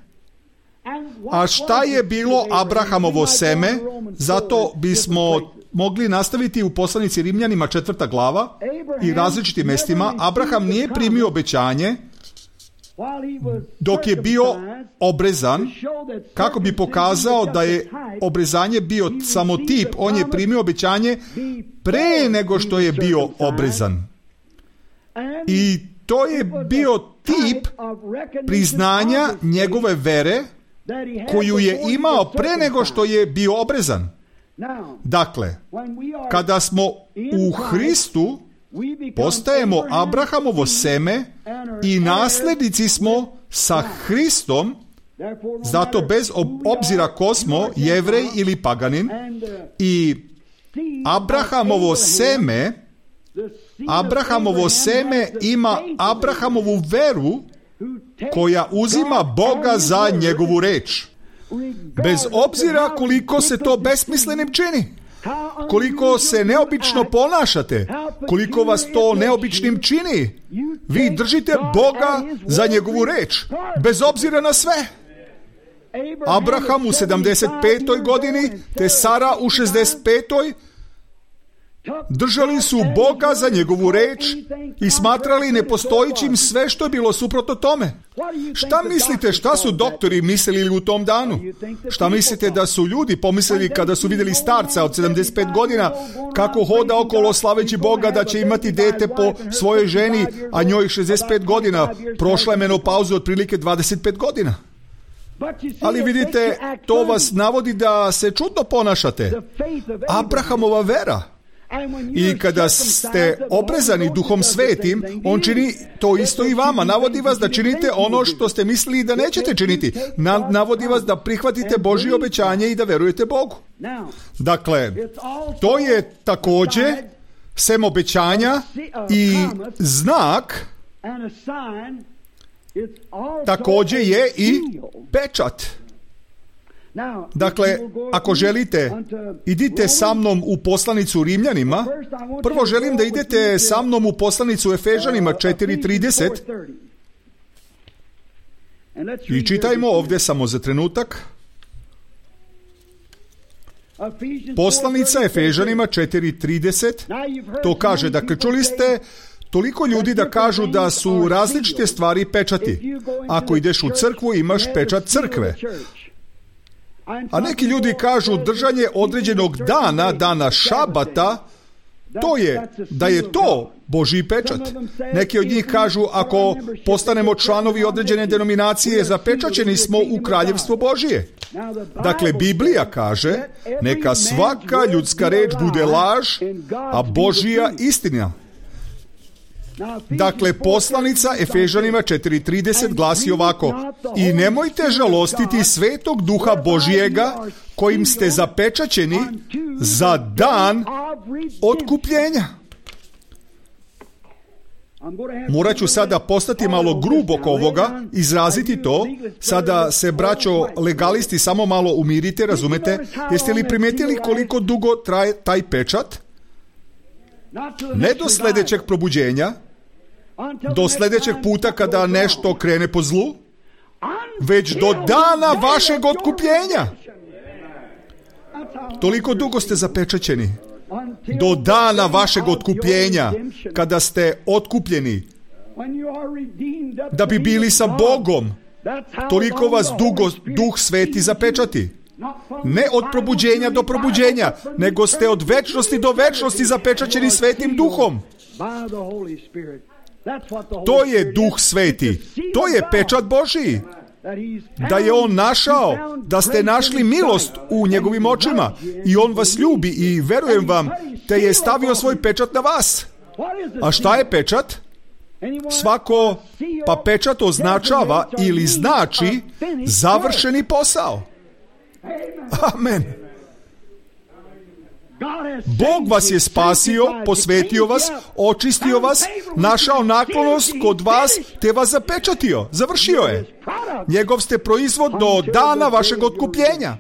A šta je bilo Abrahamovo seme? Zato bismo mogli nastaviti u poslanici Rimljanima četvrta glava i različitim mjestima. Abraham nije primio obećanje dok je bio obrezan, kako bi pokazao da je obrezanje bio samo tip. On je primio obećanje pre nego što je bio obrezan. I to je bio tip priznanja njegove vere koju je imao pre nego što je bio obrezan. Dakle, kada smo u Hristu, postajemo Abrahamovo seme i nasljednici smo sa Hristom, zato bez obzira ko smo, Jevrej ili paganin, i Abrahamovo seme, Abrahamovo seme ima Abrahamovu veru koja uzima Boga za njegovu reč. Bez obzira koliko se to besmislenim čini, koliko se neobično ponašate, koliko vas to neobičnim čini, vi držite Boga za njegovu reč, bez obzira na sve. Abraham u sedamdeset petoj godini, te Sara u šezdeset petoj držali su Boga za njegovu reč i smatrali nepostojićim sve što je bilo suprotno tome. Šta mislite, šta su doktori mislili u tom danu? Šta mislite da su ljudi pomislili kada su vidjeli starca od sedamdeset pet godina kako hoda okolo slaveći Boga da će imati dete po svojoj ženi, a njoj šezdeset pet godina, prošla je menopauzu otprilike dvadeset pet godina? Ali vidite, to vas navodi da se čudno ponašate. Abrahamova vera. I kada ste obrezani Duhom Svetim, on čini to isto i vama. Navodi vas da činite ono što ste mislili da nećete činiti. Na, navodi vas da prihvatite Božje obećanje i da verujete Bogu. Dakle, to je također sem obećanja i znak, također je i pečat. Dakle, ako želite, idite sa mnom u poslanicu Rimljanima. Prvo želim da idete sa mnom u poslanicu Efežanima četiri trideset. I čitajmo ovdje samo za trenutak. Poslanica Efežanima četiri trideset to kaže, dakle, čuli ste toliko ljudi da kažu da su različite stvari pečati. Ako ideš u crkvu, imaš pečat crkve. A neki ljudi kažu držanje određenog dana, dana šabata, to je, da je to Božji pečat. Neki od njih kažu, ako postanemo članovi određene denominacije, zapečaćeni smo u kraljevstvo Božije. Dakle, Biblija kaže, neka svaka ljudska reč bude laž, a Božja istina. Dakle, poslanica Efežanima četiri trideset glasi ovako: i nemojte žalostiti Svetog Duha Božijega, kojim ste zapečaćeni za dan otkupljenja. Morat ću sada postati malo grub oko ovoga, izraziti to. Sada se, braćo legalisti, samo malo umirite, razumete? Jeste li primijetili koliko dugo traje taj pečat? Ne do sljedećeg probuđenja, do sljedećeg puta kada nešto krene po zlu, već do dana vašeg otkupljenja. Toliko dugo ste zapečaćeni. Do dana vašeg otkupljenja, kada ste otkupljeni, da bi bili sa Bogom. Toliko vas dugo Duh Sveti zapečati. Ne od probuđenja do probuđenja, nego ste od večnosti do večnosti zapečaćeni Svetim Duhom. To je Duh Sveti. To je pečat Božiji. Da je On našao, da ste našli milost u njegovim očima i On vas ljubi i verujem vam, te je stavio svoj pečat na vas. A šta je pečat? Svako, pa pečat označava ili znači završeni posao. Amen. Bog vas je spasio, posvetio vas, očistio vas, našao naklonost kod vas, te vas zapečatio. Završio je. Njegov ste proizvod do dana vašeg otkupljenja.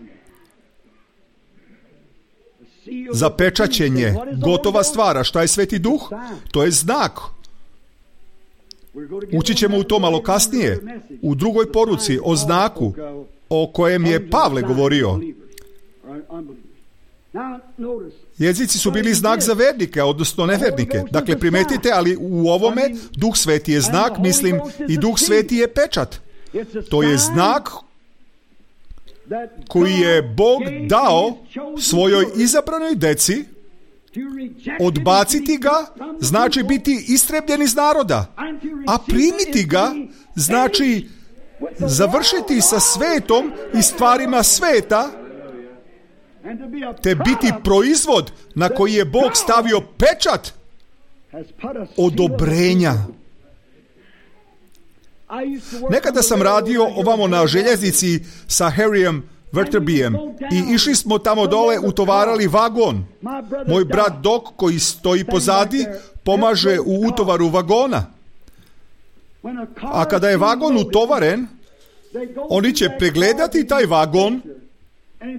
Zapečaćenje, gotova stvar. A šta je Sveti Duh? To je znak. Ući ćemo u to malo kasnije, u drugoj poruci o znaku o kojem je Pavle govorio. Jezici su bili znak za vernike, odnosno nevernike. Dakle, primetite, ali u ovome Duh Sveti je znak, mislim, i Duh Sveti je pečat. To je znak koji je Bog dao svojoj izabranoj deci. Odbaciti ga znači biti istrebljen iz naroda, a primiti ga znači završiti sa svetom i stvarima sveta, te biti proizvod na koji je Bog stavio pečat odobrenja. Nekada sam radio ovamo na željeznici sa Harryem Verterbijem i išli smo tamo dole, utovarali vagon. Moj brat Doc, koji stoji pozadi, pomaže u utovaru vagona. A kada je vagon utovaren, oni će pregledati taj vagon,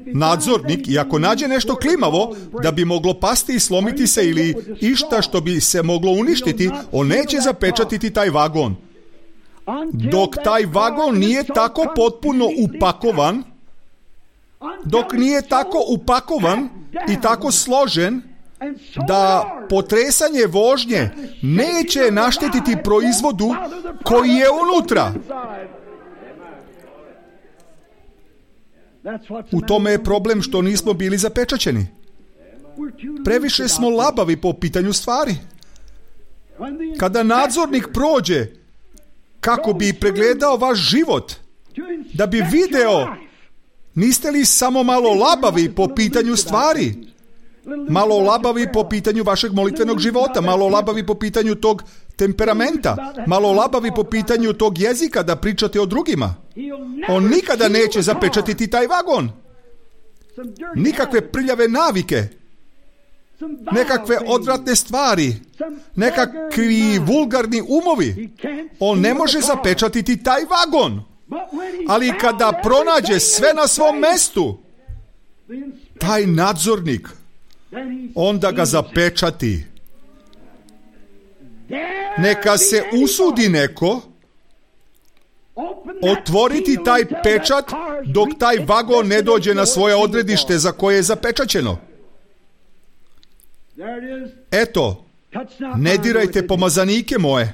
nadzornik, i ako nađe nešto klimavo da bi moglo pasti i slomiti se ili išta što bi se moglo uništiti, on neće zapečatiti taj vagon. Dok taj vagon nije tako potpuno upakovan, dok nije tako upakovan i tako složen da potresanje vožnje neće naštetiti proizvodu koji je unutra. U tome je problem što nismo bili zapečaćeni. Previše smo labavi po pitanju stvari. Kada nadzornik prođe kako bi pregledao vaš život, da bi video, niste li samo malo labavi po pitanju stvari? Malo labavi po pitanju vašeg molitvenog života, malo labavi po pitanju tog temperamenta, malo labavi po pitanju tog jezika da pričate o drugima. On nikada neće zapečatiti taj vagon. Nikakve prljave navike, nekakve odvratne stvari, nekakvi vulgarni umovi. On ne može zapečatiti taj vagon. Ali kada pronađe sve na svom mestu, taj nadzornik, onda ga zapečati. Neka se usudi neko otvoriti taj pečat dok taj vagon ne dođe na svoje odredište za koje je zapečaćeno. Eto, ne dirajte pomazanike moje.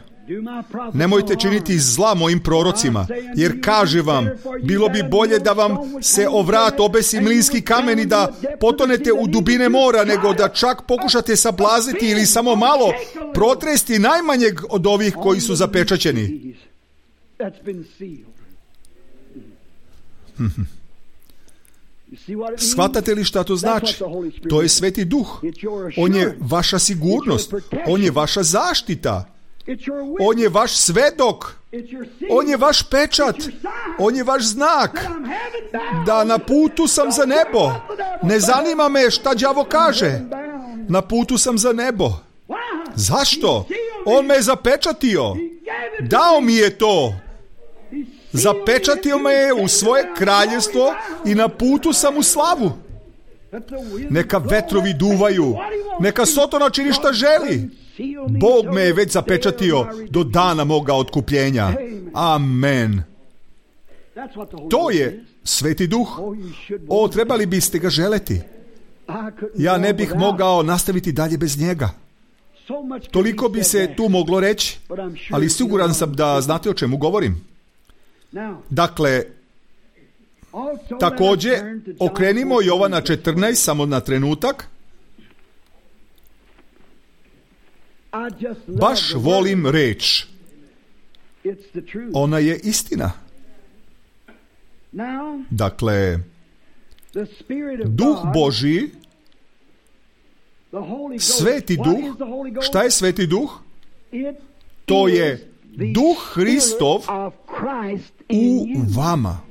Nemojte činiti zla mojim prorocima, jer kaže vam, bilo bi bolje da vam se o vrat obesi mlinski kamen i da potonete u dubine mora, nego da čak pokušate sablaziti ili samo malo protresti najmanjeg od ovih koji su zapečaćeni. Shvatate li šta to znači? To je Sveti Duh. On je vaša sigurnost. On je vaša zaštita. On je vaš svedok. On je vaš pečat. On je vaš znak. Da na putu sam za nebo. Ne zanima me šta đavo kaže. Na putu sam za nebo. Zašto? On me je zapečatio. Dao mi je to. Zapečatio me je u svoje kraljevstvo i na putu sam u slavu. Neka vetrovi duvaju. Neka Sotona čini šta želi. Bog me je već zapečatio do dana moga otkupljenja. Amen. To je Sveti Duh. O, trebali biste ga želeti. Ja ne bih mogao nastaviti dalje bez njega. Toliko bi se tu moglo reći, ali siguran sam da znate o čemu govorim. Dakle, također, okrenimo Jovana četrnaest samo na trenutak. Baš volim reč. Ona je istina. Dakle, Duh Božji, Sveti Duh, šta je Sveti Duh? To je Duh Hristov u vama.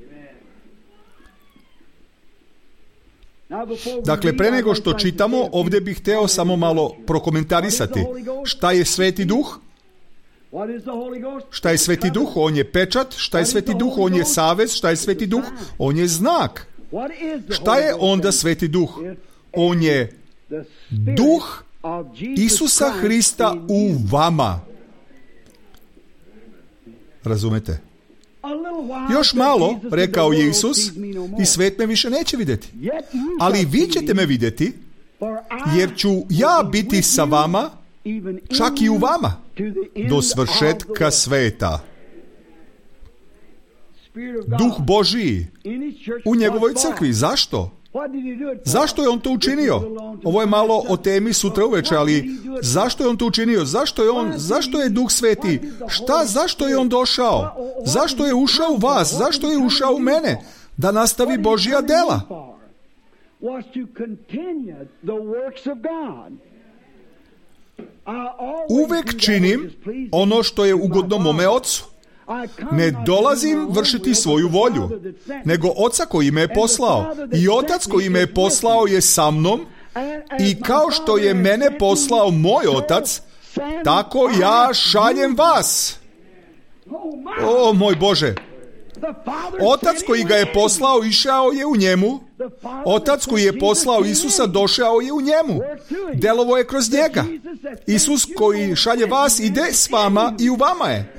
Dakle, pre nego što čitamo, ovdje bih hteo samo malo prokomentarisati. Šta je Sveti Duh? Šta je Sveti Duh? On je pečat. Šta je Sveti Duh? On je savez. Šta je Sveti Duh? On je znak. Šta je onda Sveti Duh? On je Duh Isusa Hrista u vama. Razumete? Još malo, rekao je Isus, i svet me više neće vidjeti. Ali vi ćete me vidjeti, jer ću ja biti sa vama, čak i u vama, do svršetka sveta. Duh Božiji u njegovoj crkvi. Zašto? Zašto je on to učinio? Ovo je malo o temi sutra uveče, ali zašto je on to učinio? Zašto je on, zašto je Duh Sveti? Šta, zašto je on došao? Zašto je ušao u vas? Zašto je ušao u mene? Da nastavi Božja dela. Uvek činim ono što je ugodno mome Ocu. Ne dolazim vršiti svoju volju, nego Oca koji me je poslao. I Otac koji me je poslao je sa mnom, i kao što je mene poslao moj Otac, tako ja šaljem vas. O, moj Bože! Otac koji ga je poslao išao je u njemu. Otac koji je poslao Isusa došao je u njemu. Delovo je kroz njega. Isus koji šalje vas ide s vama i u vama je.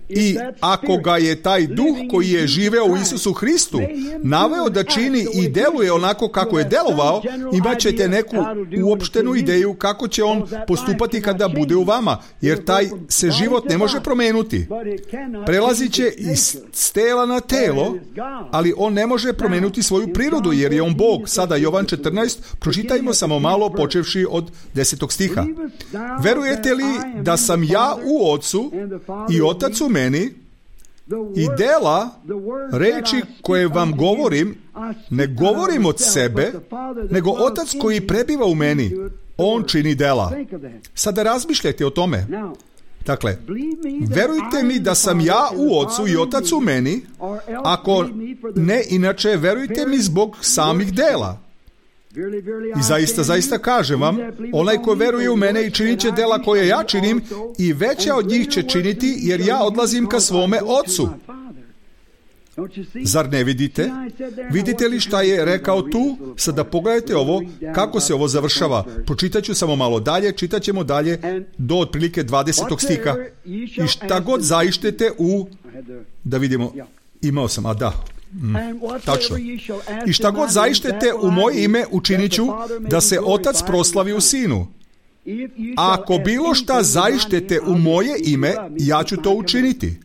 I ako ga je taj Duh koji je živeo u Isusu Hristu naveo da čini i deluje onako kako je delovao, imat ćete neku uopštenu ideju kako će on postupati kada bude u vama, jer taj se život ne može promenuti. Prelazit će iz tela na telo, ali on ne može promenuti svoju prirodu, jer je on Bog. Sada Jovan četrnaest, pročitajmo samo malo počevši od desetog stiha. Verujete li da sam ja u Ocu i Otac u meni, i dela, reči koje vam govorim, ne govorim od sebe, nego Otac koji prebiva u meni, on čini dela. Sada razmišljajte o tome. Dakle, verujte mi da sam ja u Ocu i Otac u meni, ako ne, inače verujte mi zbog samih dela. I zaista, zaista kažem vam, onaj ko veruje u mene i činit će dela koje ja činim, i veća od njih će činiti, jer ja odlazim ka svome Ocu. Zar ne vidite? Vidite li šta je rekao tu? Sada pogledajte ovo, kako se ovo završava. Pročitat ću samo malo dalje, čitat ćemo dalje do otprilike dvadesetog stiha. I šta god zaištete u... Da vidimo, imao sam, a da... Mm, tačno. I šta god zaištete u moje ime učinit ću da se Otac proslavi u Sinu. A ako bilo šta zaištete u moje ime, ja ću to učiniti.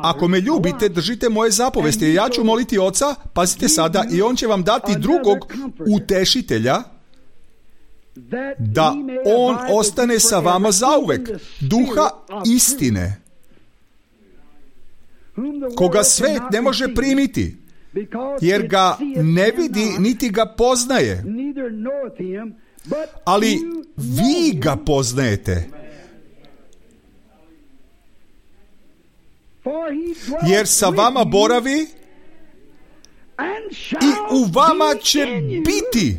Ako me ljubite, držite moje zapovesti. Ja ću moliti Oca, pazite sada, i On će vam dati drugog utešitelja, da On ostane sa vama zauvek, duha istine, koga svet ne može primiti, jer ga ne vidi niti ga poznaje, ali vi ga poznajete, jer sa vama boravi i u vama će biti.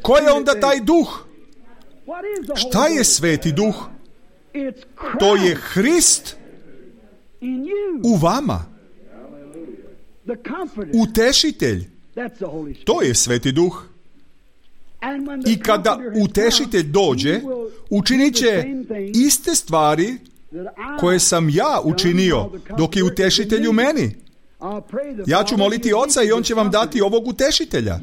Ko je onda taj duh? Šta je Sveti duh? To je Hrist u vama. Utešitelj. To je Sveti duh. I kada utešitelj dođe, učinit će iste stvari koje sam ja učinio dok je utešitelj u meni. Ja ću moliti Oca i On će vam dati ovog utešitelja.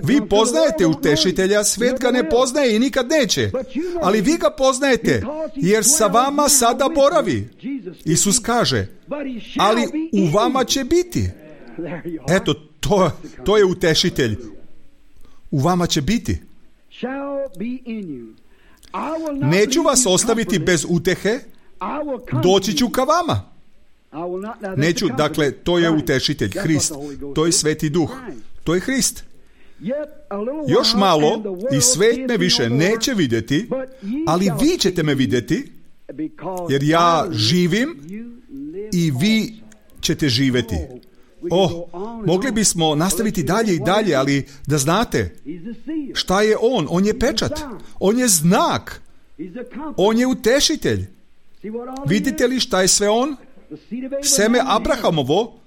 Vi poznajete utešitelja, svet ga ne poznaje i nikad neće. Ali vi ga poznajete, jer sa vama sada boravi. Isus kaže, ali u vama će biti. Eto, to, to je utešitelj. U vama će biti. Neću vas ostaviti bez utehe, doći ću ka vama. Neću, dakle, to je utešitelj, Hrist. To je Sveti duh. To je Hrist. Još malo i svet me više neće vidjeti, ali vi ćete me vidjeti, jer ja živim i vi ćete živjeti. Oh, mogli bismo nastaviti dalje i dalje, ali da znate, šta je On? On je pečat. On je znak. On je utešitelj. Vidite li šta je sve On? Seme Abrahamovo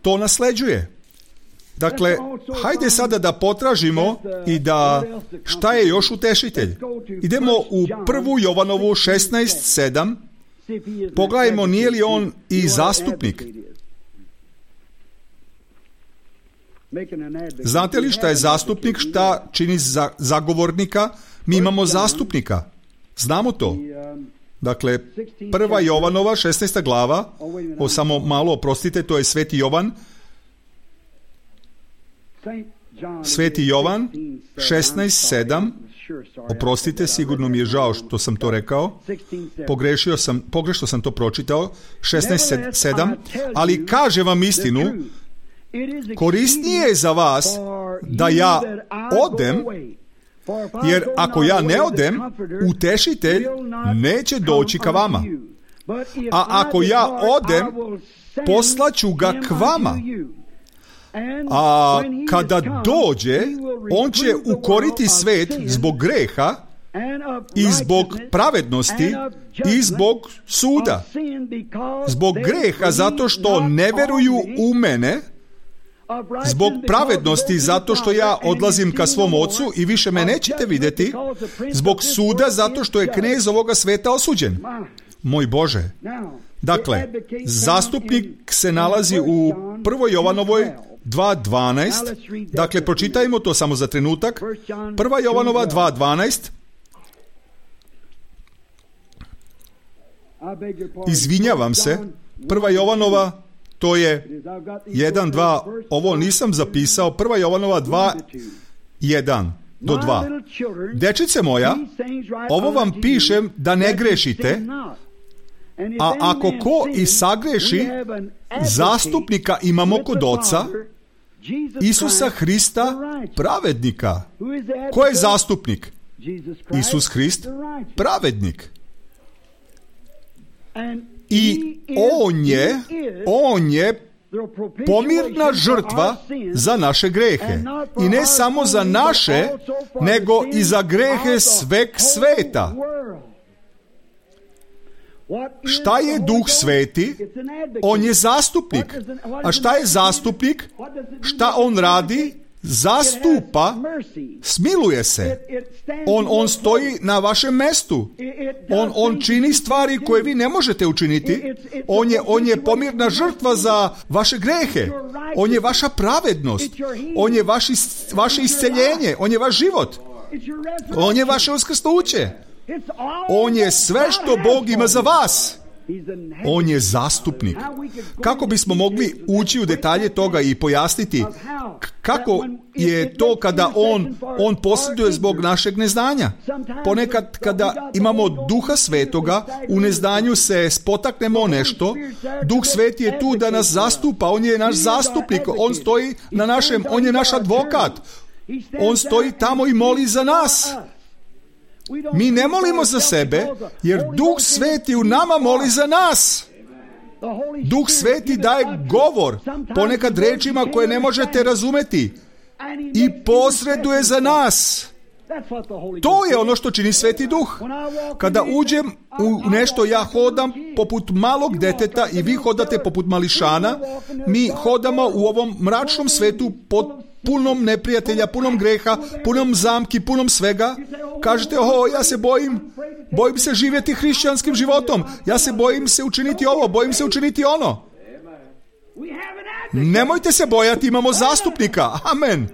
to nasleđuje. Dakle, hajde sada da potražimo i da šta je još utešitelj. Idemo u prvu Jovanovu šesnaest sedam. Pogledajmo, nije li on i zastupnik. Znate li šta je zastupnik, šta čini za, zagovornika? Mi imamo zastupnika. Znamo to. Dakle, prva Jovanova, šesnaesta glava, o samo malo, oprostite, to je Sveti Jovan. Sveti Jovan, šesnaest sedam, oprostite, sigurno mi je žao što sam to rekao, pogrešio sam, pogrešno sam to pročitao, šesnaest sedam, ali kaže vam istinu, korisnije je za vas da ja odem, jer ako ja ne odem, utešitelj neće doći ka vama. A ako ja odem, poslaću ga k vama. A kada dođe, on će ukoriti svet zbog greha i zbog pravednosti i zbog suda. Zbog greha zato što ne veruju u mene, zbog pravednosti zato što ja odlazim ka svom Ocu i više me nećete vidjeti, zbog suda zato što je knez ovoga sveta osuđen. Moj Bože. Dakle, zastupnik se nalazi u prvoj Jovanovoj dva dvanaest. Dakle, pročitajmo to samo za trenutak. prva Jovanova dva dvanaest. Izvinjavam se. prva Jovanova, to je jedan, dva, ovo nisam zapisao, prva Jovanova dva, jedan do dva. Dečice moja, ovo vam pišem da ne grešite, a ako ko i sagreši, zastupnika imamo kod Oca, Isusa Hrista, pravednika. Ko je zastupnik? Isus Hrist, pravednik. I on je, on je pomirna žrtva za naše grehe. I ne samo za naše, nego i za grehe sveg sveta. Šta je Duh Sveti? On je zastupnik. A šta je zastupnik? Šta on radi? Zastupa, smiluje se. On, on stoji na vašem mestu. On, on čini stvari koje vi ne možete učiniti. On je, on je pomirna žrtva za vaše grehe. On je vaša pravednost. On je vaši, vaše isceljenje. On je vaš život. On je vaše uskrsnuće. On je sve što Bog ima za vas. On je zastupnik. Kako bismo mogli ući u detalje toga i pojasniti kako je to kada on, on posjeduje zbog našeg neznanja? Ponekad kada imamo Duha Svetoga, u neznanju se spotaknemo nešto, Duh Sveti je tu da nas zastupa, on je naš zastupnik, on stoji na našem, on je naš advokat, on stoji tamo i moli za nas. Mi ne molimo za sebe, jer Duh Sveti u nama moli za nas. Duh Sveti daje govor, ponekad rečima koje ne možete razumeti, i posreduje za nas. To je ono što čini Sveti Duh. Kada uđem u nešto, ja hodam poput malog deteta i vi hodate poput mališana. Mi hodamo u ovom mračnom svetu pod punom neprijatelja, punom greha, punom zamki, punom svega. Kažete, o, ja se bojim, bojim se živjeti hrišćanskim životom. Ja se bojim se učiniti ovo, bojim se učiniti ono. Nemojte se bojati, imamo zastupnika. Amen.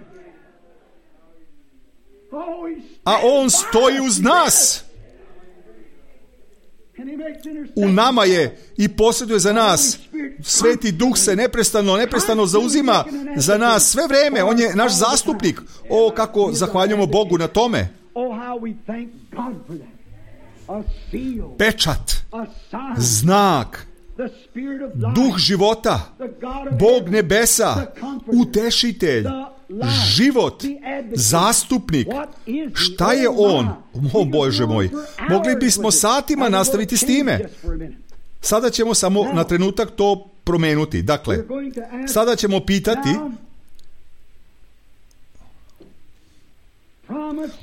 A on stoji uz nas. U nama je i posjeduje za nas. Sveti Duh se neprestano, neprestano zauzima za nas sve vreme. On je naš zastupnik. O, kako zahvaljujemo Bogu na tome. Pečat, znak, Duh života, Bog nebesa, utešitelj, život, zastupnik. Šta je on? O Bože moj, mogli bismo satima nastaviti s time. Sada ćemo samo na trenutak to promenuti. Dakle, sada ćemo pitati,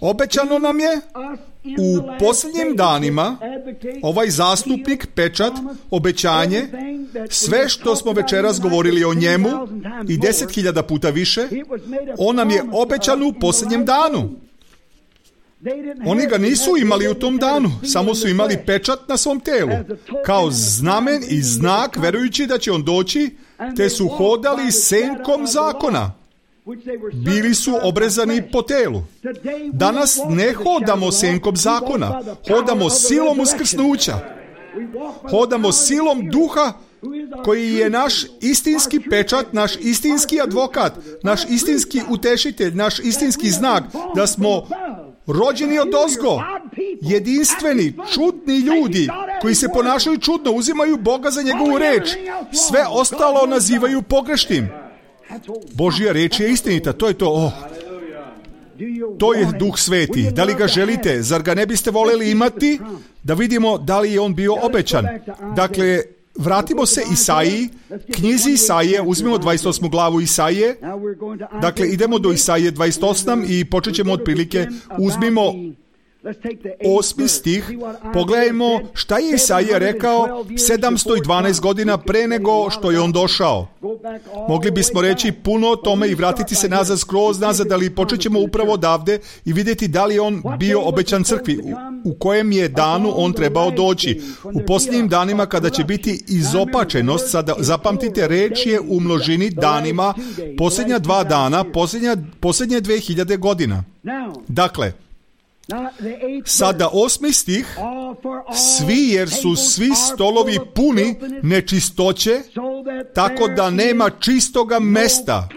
obećano nam je u posljednjim danima ovaj zastupnik, pečat, obećanje, sve što smo večeras govorili o njemu i deset hiljada puta više, on nam je obećan u posljednjem danu. Oni ga nisu imali u tom danu, samo su imali pečat na svom telu, kao znamen i znak, verujući da će on doći, te su hodali senkom zakona. Bili su obrezani po telu. Danas ne hodamo senkom zakona, hodamo silom uskrsnuća. Hodamo silom Duha koji je naš istinski pečat, naš istinski advokat, naš istinski utešitelj, naš istinski znak da smo rođeni od ozgo, jedinstveni, čudni ljudi koji se ponašaju čudno, uzimaju Boga za njegovu reč, sve ostalo nazivaju pogrešnim. Božja reč je istinita, to je to. Oh. To je Duh Sveti. Da li ga želite? Zar ga ne biste voljeli imati? Da vidimo da li je on bio obećan. Dakle, vratimo se Isaiji, knjizi Isaije, uzmimo dvadeset osmu glavu Isaije. Dakle, idemo do Isaije dvadeset osam i počet ćemo otprilike, uzmimo osmi stih, pogledajmo šta je Isaija rekao sedamsto dvanaest godina pre nego što je on došao. Mogli bismo reći puno o tome i vratiti se nazad, skroz nazad, ali počet ćemo upravo odavde i vidjeti da li je on bio obećan crkvi, u, u kojem je danu on trebao doći. U posljednjim danima kada će biti izopačenost, sada zapamtite, reč je u množini danima, posljednja dva dana, posljednja, posljednje dve hiljade godina. Dakle, sada osmi stih, svi jer su svi stolovi puni nečistoće, tako da nema čistoga mesta.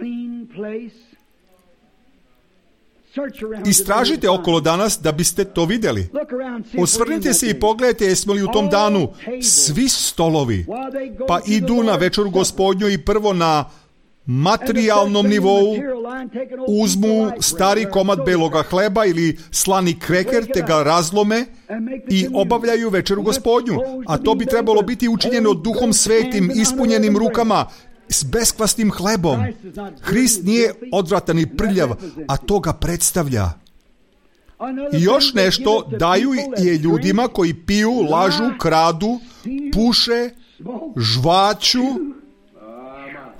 Istražite okolo danas da biste to vidjeli. Osvrnite se i pogledajte jesmo li u tom danu svi stolovi, pa idu na večeru Gospodnju i prvo na materijalnom nivou uzmu stari komad beloga hleba ili slani kreker te ga razlome i obavljaju večeru Gospodnju, a to bi trebalo biti učinjeno Duhom Svetim, ispunjenim rukama s beskvasnim hlebom. Hrist nije odvratan i prljav, a to ga predstavlja. I još nešto daju je ljudima koji piju, lažu, kradu, puše, žvaću,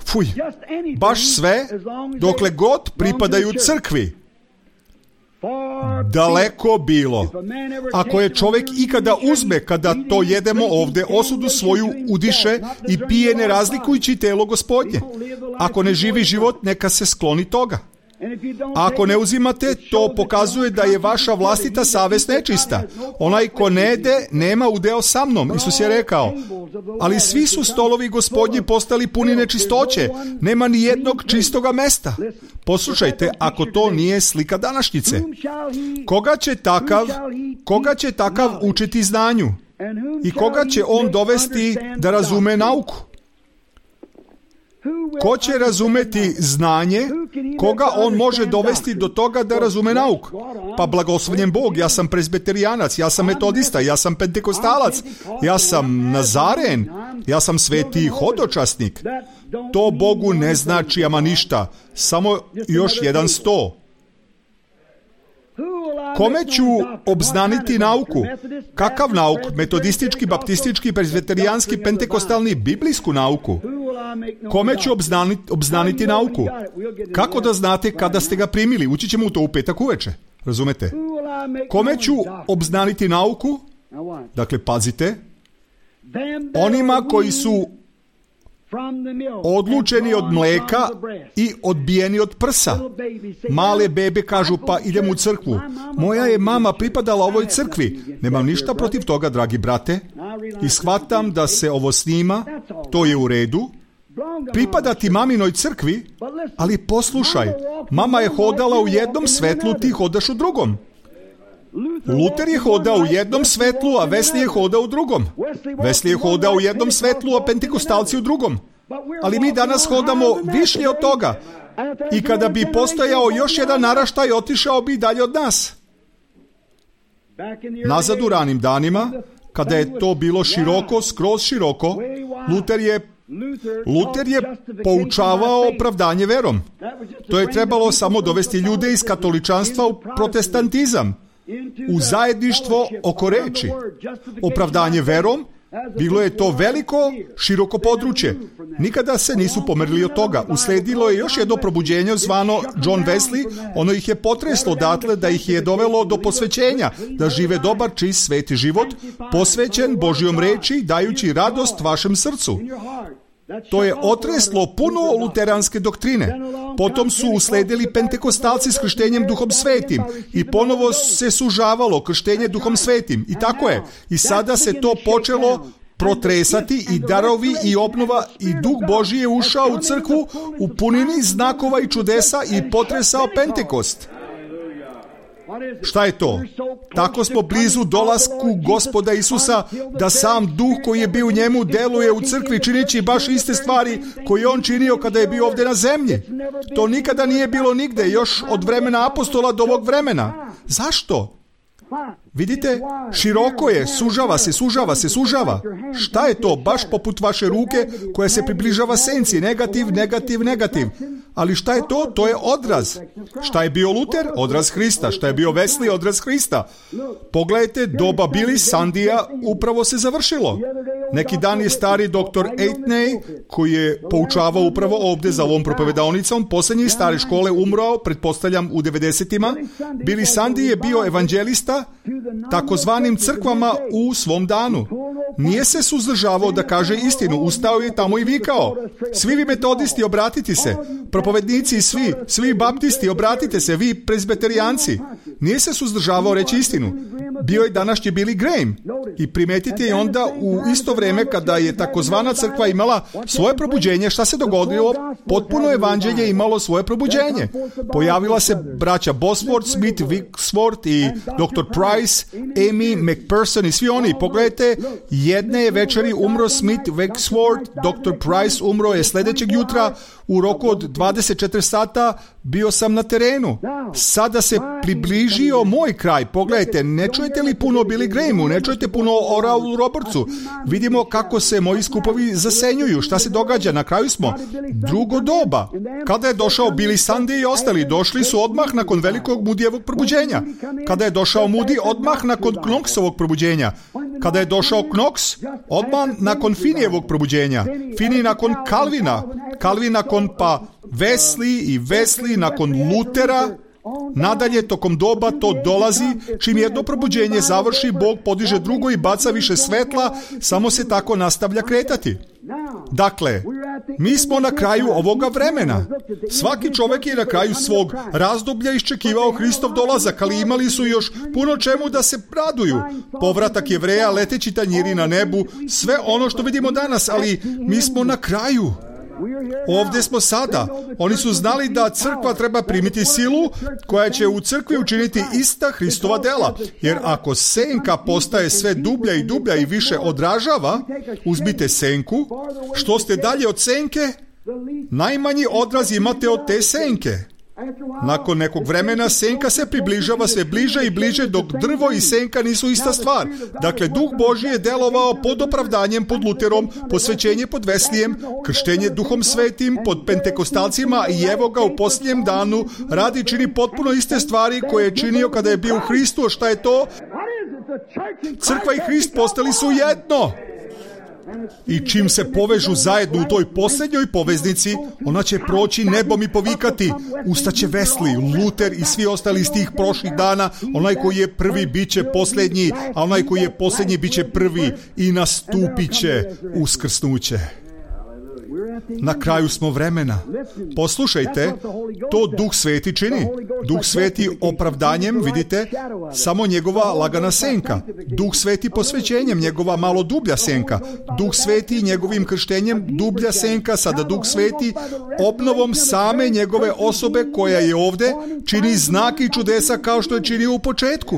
fuj, baš sve, dokle god pripadaju crkvi. Daleko bilo. Ako je čovjek ikada uzme, kada to jedemo ovdje, osudu svoju udiše i pije ne razlikujući telo Gospodnje. Ako ne živi život, neka se skloni toga. Ako ne uzimate, to pokazuje da je vaša vlastita savest nečista. Onaj ko ne jede, nema udeo sa mnom, Isus je rekao. Ali svi su stolovi Gospodnji postali puni nečistoće. Nema ni jednog čistoga mesta. Poslušajte, ako to nije slika današnjice. Koga će takav, koga će takav učiti znanju? I koga će on dovesti da razume nauku? Ko će razumeti znanje, koga on može dovesti do toga da razume nauku? Pa blagoslovljen Bog, ja sam prezbeterijanac, ja sam metodista, ja sam pentekostalac, ja sam nazaren, ja sam sveti hodočasnik. To Bogu ne znači ama ništa, samo još jedan sto. Kome ću obznaniti nauku? Kakav nauk? Metodistički, baptistički, prezbeterijanski, pentekostalni, biblijsku nauku? Kome ću obznaniti, obznaniti nauku? Kako da znate kada ste ga primili? Ući ćemo u to u petak uveče. Razumete? Kome ću obznaniti nauku? Dakle, pazite. Onima koji su odlučeni od mleka i odbijeni od prsa. Male bebe kažu, pa idem u crkvu. Moja je mama pripadala ovoj crkvi. Nemam ništa protiv toga, dragi brate. I shvatam da se ovo snima, to je u redu. Pripadati maminoj crkvi, ali poslušaj, mama je hodala u jednom svetlu, ti hodaš u drugom. Luter je hodao u jednom svetlu, a Wesley je hodao u drugom. Wesley je hodao u jednom svetlu, a pentekostalci u drugom. Ali mi danas hodamo više od toga. I kada bi postojao još jedan naraštaj, otišao bi dalje od nas. Nazad u ranim danima, kada je to bilo široko, skroz široko, Luter je Luter je poučavao opravdanje verom. To je trebalo samo dovesti ljude iz katoličanstva u protestantizam, u zajedništvo oko reči. Opravdanje verom, bilo je to veliko, široko područje. Nikada se nisu pomerili od toga. Usledilo je još jedno probuđenje zvano John Wesley. Ono ih je potreslo odatle da ih je dovelo do posvećenja, da žive dobar, čist, sveti život, posvećen Božjom reči, dajući radost vašem srcu. To je otreslo puno luteranske doktrine. Potom su usledili pentekostalci s krštenjem Duhom Svetim i ponovo se sužavalo krštenje Duhom Svetim. I tako je. I sada se to počelo protresati i darovi i obnova i Duh Božji je ušao u crkvu u punini znakova i čudesa i potresao Pentekost. Šta je to? Tako smo blizu dolasku Gospoda Isusa, da sam Duh koji je bio u njemu deluje u crkvi čineći baš iste stvari koje je on činio kada je bio ovdje na zemlji. To nikada nije bilo nigde, još od vremena apostola do ovog vremena. Zašto? Vidite, široko je, sužava se, sužava se, sužava. Šta je to? Baš poput vaše ruke koja se približava senci. Negativ, negativ, negativ. Ali šta je to? To je odraz. Šta je bio Luter? Odraz Hrista. Šta je bio Wesley? Odraz Hrista. Pogledajte, doba Billy Sandija upravo se završilo. Neki dan je stari doktor Aitney, koji je poučavao upravo ovdje za ovom propovedaonicom, posljednji stare škole umrao, pretpostavljam u devedesetima. Billy Sandy je bio evanđelista takozvanim crkvama u svom danu. Nije se suzdržavao da kaže istinu, ustao je tamo i vikao: svi vi metodisti, obratite se, propovednici svi, svi baptisti, obratite se, vi prezbeterijanci. Nije se suzdržavao reći istinu. Bio je današnji Billy Graham. I primetite i onda u isto vrijeme kada je takozvana crkva imala svoje probuđenje, šta se dogodilo? Potpuno evanđelje imalo svoje probuđenje. Pojavila se braća Bosworth, Smith, Wixworth i doktor Price, Amy, McPherson i svi oni. Pogledajte, jedne je večeri umro Smith, Wixworth, doktor Price umro je sljedećeg jutra. U roku od dvadeset četiri sata bio sam na terenu. Sada se približio moj kraj. Pogledajte, ne čujete li puno Billy Grahamu, ne čujete puno o Oralu Robertsu. Vidimo kako se moji skupovi zasenjuju. Šta se događa? Na kraju smo. Drugo doba. Kada je došao Billy Sunday i ostali, došli su odmah nakon velikog Moodijevog probuđenja. Kada je došao Moody, odmah nakon Knoxovog probuđenja. Kada je došao Knox, odmah nakon Finijevog probuđenja, Fini nakon Kalvina, Kalvin nakon pa Wesley i Wesley nakon Lutera, nadalje tokom doba to dolazi, čim jedno probuđenje završi, Bog podiže drugo i baca više svetla, samo se tako nastavlja kretati. Dakle, mi smo na kraju ovoga vremena. Svaki čovjek je na kraju svog razdoblja iščekivao Hristov dolazak, ali imali su još puno čemu da se raduju. Povratak Jevreja, leteći tanjiri na nebu, sve ono što vidimo danas, ali mi smo na kraju. Ovdje smo sada. Oni su znali da crkva treba primiti silu koja će u crkvi učiniti ista Hristova dela. Jer ako senka postaje sve dublja i dublja i više odražava, uzmite senku, što ste dalje od senke, najmanji odraz imate od te senke. Nakon nekog vremena senka se približava sve bliže i bliže, dok drvo i senka nisu ista stvar. Dakle, Duh Božji je delovao pod opravdanjem, pod Luterom, posvećenje pod Veslijem, krštenje Duhom Svetim pod Pentekostalcima i evo ga u posljednjem danu radi i čini potpuno iste stvari koje je činio kada je bio u Hristu. Šta je to? Crkva i Hrist postali su jedno. I čim se povežu zajedno u toj posljednjoj poveznici, ona će proći nebom i povikati: ustaće Wesley, Luter i svi ostali iz tih prošlih dana. Onaj koji je prvi bit će posljednji, a onaj koji je posljednji bit će prvi i nastupit će uskrsnuće. Na kraju smo vremena. Poslušajte, to Duh Sveti čini. Duh Sveti opravdanjem, vidite, samo njegova lagana senka. Duh Sveti posvećenjem, njegova malo dublja senka. Duh Sveti njegovim krštenjem, dublja senka. Sada Duh Sveti obnovom same njegove osobe koja je ovdje čini znake i čudesa kao što je činio u početku.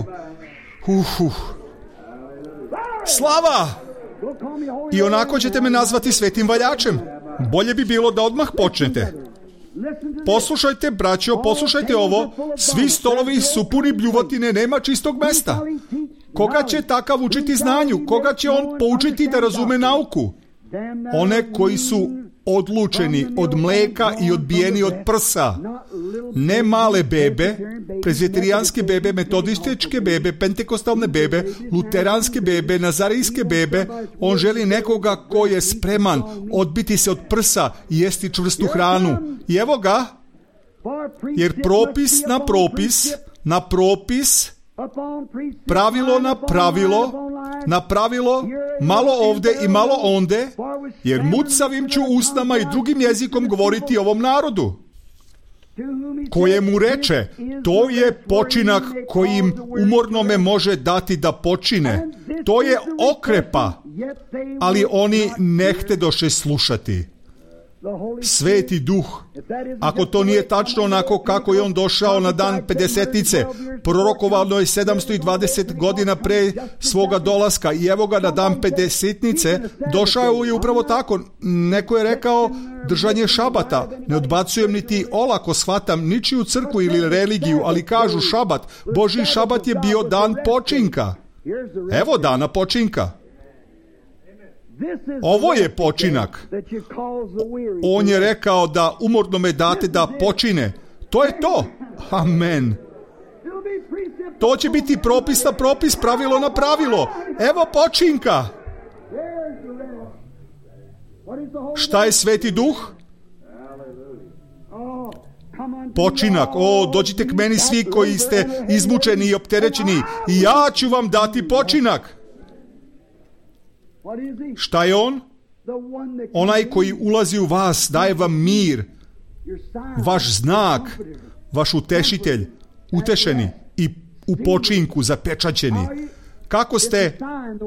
Uh, uh. Slava! I onako ćete me nazvati svetim valjačem. Bolje bi bilo da odmah počnete. Poslušajte, braćo, poslušajte ovo. Svi stolovi su puni bljuvotine, nema čistog mesta. Koga će takav učiti znanju? Koga će on poučiti da razume nauku? One koji su odlučeni od mleka i odbijeni od prsa. Ne male bebe, prezbiterijanske bebe, metodističke bebe, pentekostalne bebe, luteranske bebe, nazarijske bebe. On želi nekoga ko je spreman odbiti se od prsa i jesti čvrstu hranu. I evo ga, jer propis na propis, na propis, pravilo na pravilo, na pravilo, malo ovde i malo onde, jer mucavim ću usnama i drugim jezikom govoriti ovom narodu. Kojemu reče, to je počinak kojim umornome može dati da počine. To je okrepa, ali oni ne htedoše slušati. Sveti Duh, ako to nije tačno onako kako je on došao na dan pedesetnice, prorokovano je sedamsto dvadeset godina pre svoga dolaska i evo ga na dan pedesetnice došao je upravo tako. Neko je rekao držanje šabata. Ne odbacujem niti olako shvatam ničiju crkvu ili religiju, ali kažu šabat. Božji šabat je bio dan počinka. Evo dana počinka. Ovo je počinak. On je rekao da umorno me date da počine. To je to. Amen. To će biti propis na propis, pravilo na pravilo. Evo počinka. Šta je Sveti Duh? Počinak. O, dođite k meni svi koji ste izmučeni i opterećeni i ja ću vam dati počinak. Šta je on? Onaj koji ulazi u vas, daje vam mir, vaš znak, vaš utešitelj, utešeni i u počinku zapečaćeni. Kako ste?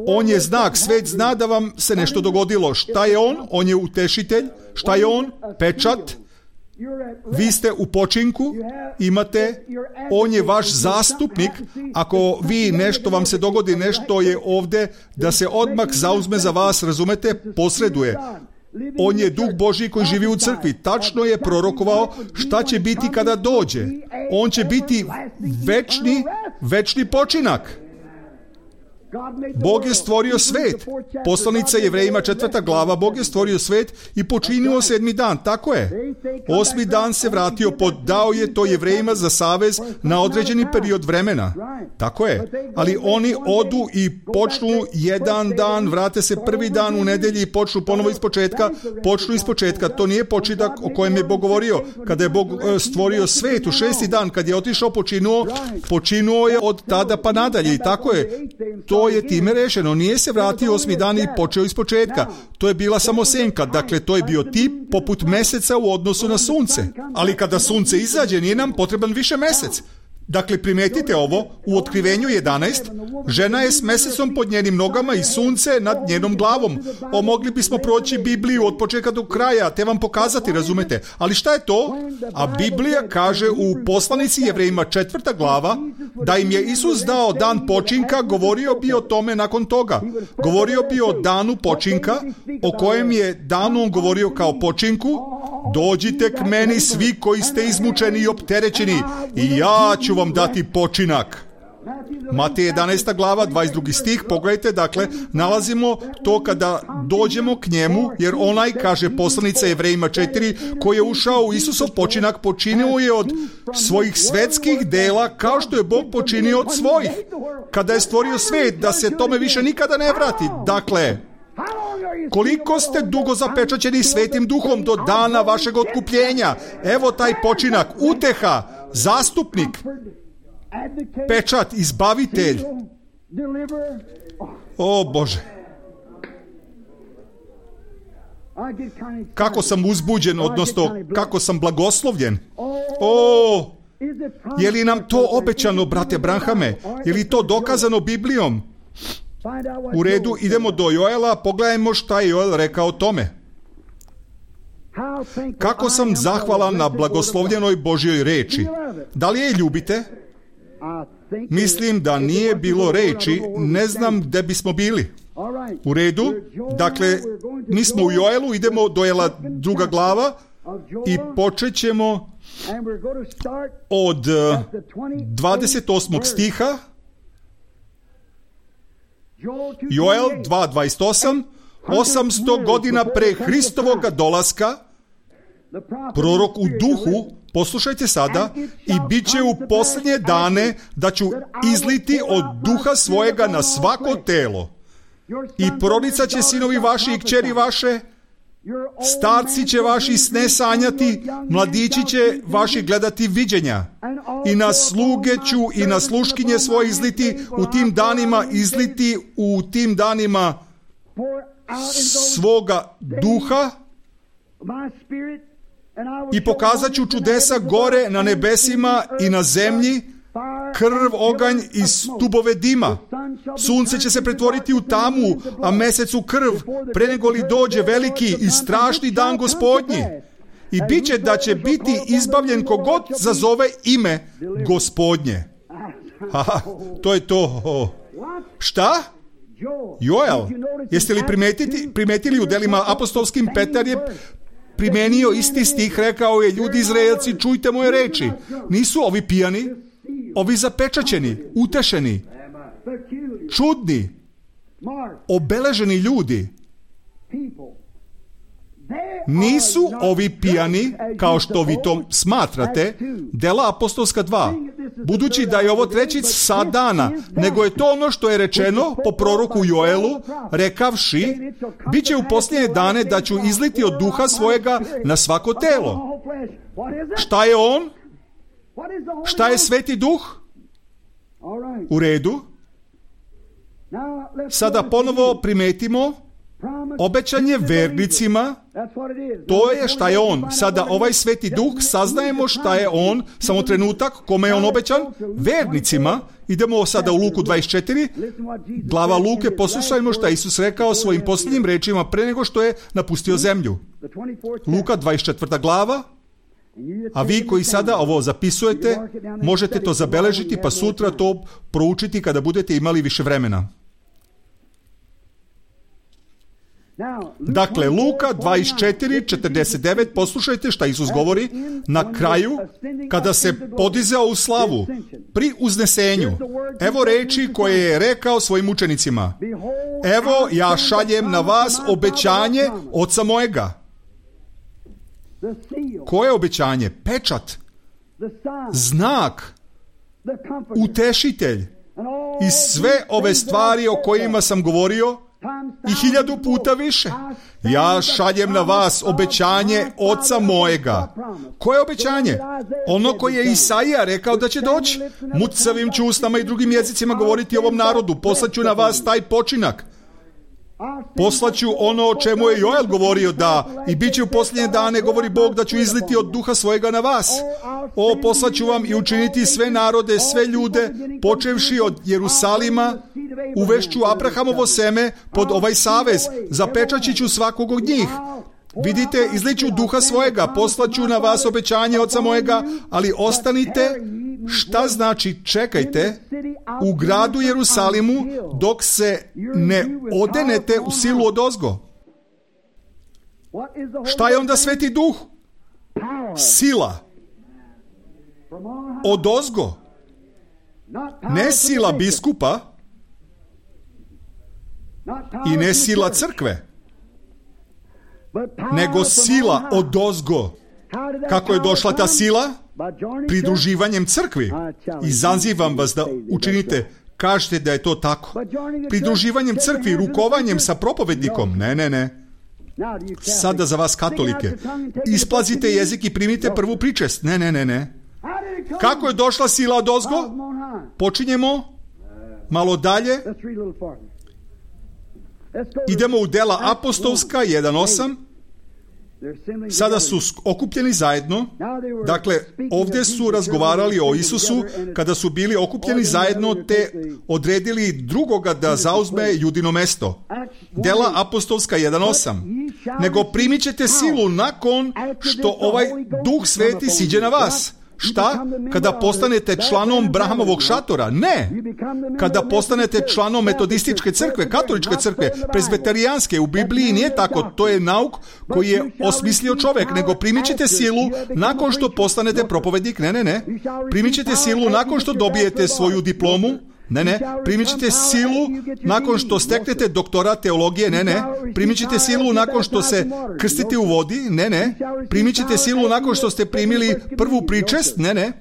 On je znak, svet zna da vam se nešto dogodilo. Šta je on? On je utešitelj. Šta je on? Pečat. Vi ste u počinku, imate, on je vaš zastupnik. Ako vi nešto vam se dogodi, nešto je ovdje da se odmah zauzme za vas, razumete, posreduje. On je Duh Božji koji živi u crkvi. Tačno je prorokovao šta će biti kada dođe. On će biti večni, večni počinak. Bog je stvorio svet. Poslanica Jevrejima četvrta glava, Bog je stvorio svet i počinio sedmi dan. Tako je. Osmi dan se vratio, podao je to Jevrejima za savez na određeni period vremena. Tako je. Ali oni odu i počnu jedan dan, vrate se prvi dan u nedelji i počnu ponovo iz početka. Počnu iz početka. To nije početak o kojem je Bog govorio. Kada je Bog stvorio svet u šesti dan, kad je otišao počinuo, počinuo je od tada pa nadalje. I tako je. To je time rešeno. Nije se vratio osmi dan i počeo iz početka. To je bila samo senka. Dakle, to je bio tip poput meseca u odnosu na sunce. Ali kada sunce izađe, nije nam potreban više mesec. Dakle, primetite ovo, u Otkrivenju jedanaest, žena je s mesecom pod njenim nogama i sunce nad njenom glavom. O, mogli bismo proći Bibliju od početka do kraja, te vam pokazati, razumete. Ali šta je to? A Biblija kaže u poslanici Jevrejima četvrta glava, da im je Isus dao dan počinka, govorio bi o tome nakon toga. Govorio bi o danu počinka, o kojem je danu on govorio kao počinku. Dođite k meni svi koji ste izmučeni i opterećeni i ja ću vam dati počinak. Matej jedanaesta glava, dvadeset drugi stih, pogledajte, dakle, nalazimo to kada dođemo k njemu, jer onaj, kaže poslanica Jevrejima četiri, koji je ušao u Isusov počinak, počinio je od svojih svetskih dela, kao što je Bog počinio od svojih. Kada je stvorio svet, da se tome više nikada ne vrati. Dakle, koliko ste dugo zapečaćeni Svetim Duhom do dana vašeg otkupljenja? Evo taj počinak, uteha, zastupnik, pečat, izbavitelj. O Bože, kako sam uzbuđen, odnosno kako sam blagoslovljen. O, je li nam to obećano, brate Branhame? Je li to dokazano Biblijom? U redu, idemo do Joela, pogledajmo šta je Joel rekao o tome. Kako sam zahvalan na blagoslovljenoj Božjoj reči. Da li je ljubite? Mislim da nije bilo reči, ne znam gde bismo bili. U redu, dakle, mi smo u Joelu, idemo do Joela druga glava i počet ćemo od dvadeset osmog stiha. Joel dva dvadeset osam, osamsto godina pre Hristovoga dolaska, prorok u duhu, poslušajte sada, i bit će u posljednje dane da ću izliti od duha svojega na svako telo. I proricat će sinovi vaši i kćeri vaše, starci će vaši sne sanjati, mladići će vaši gledati viđenja. I na sluge ću i na sluškinje svoje izliti u tim danima, izliti u tim danima svoga duha i pokazat ću čudesa gore na nebesima i na zemlji, krv, oganj i stubove dima. Sunce će se pretvoriti u tamu, a mesec u krv, pre nego li dođe veliki i strašni dan Gospodnji. I bit će da će biti izbavljen kogod zazove ime Gospodnje. Aha, to je to. Oh. Šta? Joel, jeste li primetili, primetili u delima apostolskim? Petar je primenio isti stih, rekao je: ljudi Izraelci, čujte moje reči. Nisu ovi pijani, ovi zapečaćeni, utešeni, čudni, obeleženi ljudi. Nisu ovi pijani, kao što vi to smatrate, dela apostolska dva, budući da je ovo treći sat dana, nego je to ono što je rečeno po proroku Joelu, rekavši: bit će u posljednje dane da ću izliti od duha svojega na svako telo. Šta je on? Šta je Sveti Duh? U redu. Sada ponovo primetimo obećanje vernicima. To je šta je on. Sada ovaj Sveti Duh, saznajemo šta je on, samo trenutak, kome je on obećan? Vernicima. Idemo sada u Luku dvadeset četiri, glava Luke, poslušajmo šta Isus rekao svojim posljednjim rečima pre nego što je napustio zemlju. Luka dvadeset četvrta glava. A vi koji sada ovo zapisujete, možete to zabeležiti pa sutra to proučiti kada budete imali više vremena. Dakle, Luka dvadeset četiri četrdeset devet, poslušajte šta Isus govori na kraju, kada se podizao u slavu. pri uznesenju. Evo reči koje je rekao svojim učenicima. Evo ja šaljem na vas obećanje Oca mojega. Koje obećanje? Pečat, znak, utešitelj i sve ove stvari o kojima sam govorio i hiljadu puta više. Ja šaljem na vas obećanje Oca mojega. Koje obećanje? Ono koje je Isaija rekao da će doći. Mucavim ću usnama i drugim jezicima govoriti ovom narodu. Poslaću na vas taj počinak. Poslaću ono o čemu je Joel govorio, da i bit će u posljednje dane, govori Bog, da ću izliti od duha svojega na vas. O, poslaću vam i učiniti sve narode, sve ljude, počevši od Jerusalima, uvešću Abrahamovo seme pod ovaj savez, zapečaći ću svakog od njih. Vidite, izliću duha svojega, poslaću na vas obećanje Oca mojega, ali ostanite, šta znači čekajte, u gradu Jerusalimu dok se ne odenete u silu odozgo. Šta je onda Sveti Duh? Sila. Odozgo. Ne sila biskupa i ne sila crkve, nego sila odozgo. Kako je došla ta sila? Pridruživanjem crkvi. I zazivam vas da učinite, kažete da je to tako. Pridruživanjem crkvi, rukovanjem sa propovednikom. Ne, ne, ne. Sada za vas katolike. Isplazite jezik i primite prvu pričest. Ne, ne, ne, ne. Kako je došla sila odozgo? Počinjemo malo dalje. Idemo u Dela apostolska jedan osam. Sada su okupljeni zajedno. Dakle, ovdje su razgovarali o Isusu kada su bili okupljeni zajedno te odredili drugoga da zauzme Judino mesto. Dela apostolska jedan osam. Nego primit ćete silu nakon što ovaj Duh Sveti siđe na vas. Šta? Kada postanete članom Brahamovog šatora? Ne! Kada postanete članom metodističke crkve, katoličke crkve, prezbeterijanske, u Bibliji nije tako, to je nauk koji je osmislio čovjek, nego primit ćete silu nakon što postanete propovednik, ne, ne, ne. Primit ćete silu nakon što dobijete svoju diplomu, ne, ne. Primit ćete silu nakon što steknete doktorat teologije, ne, ne. Primit ćete silu nakon što se krstite u vodi, ne, ne. Primit ćete silu nakon što ste primili prvu pričest, ne, ne.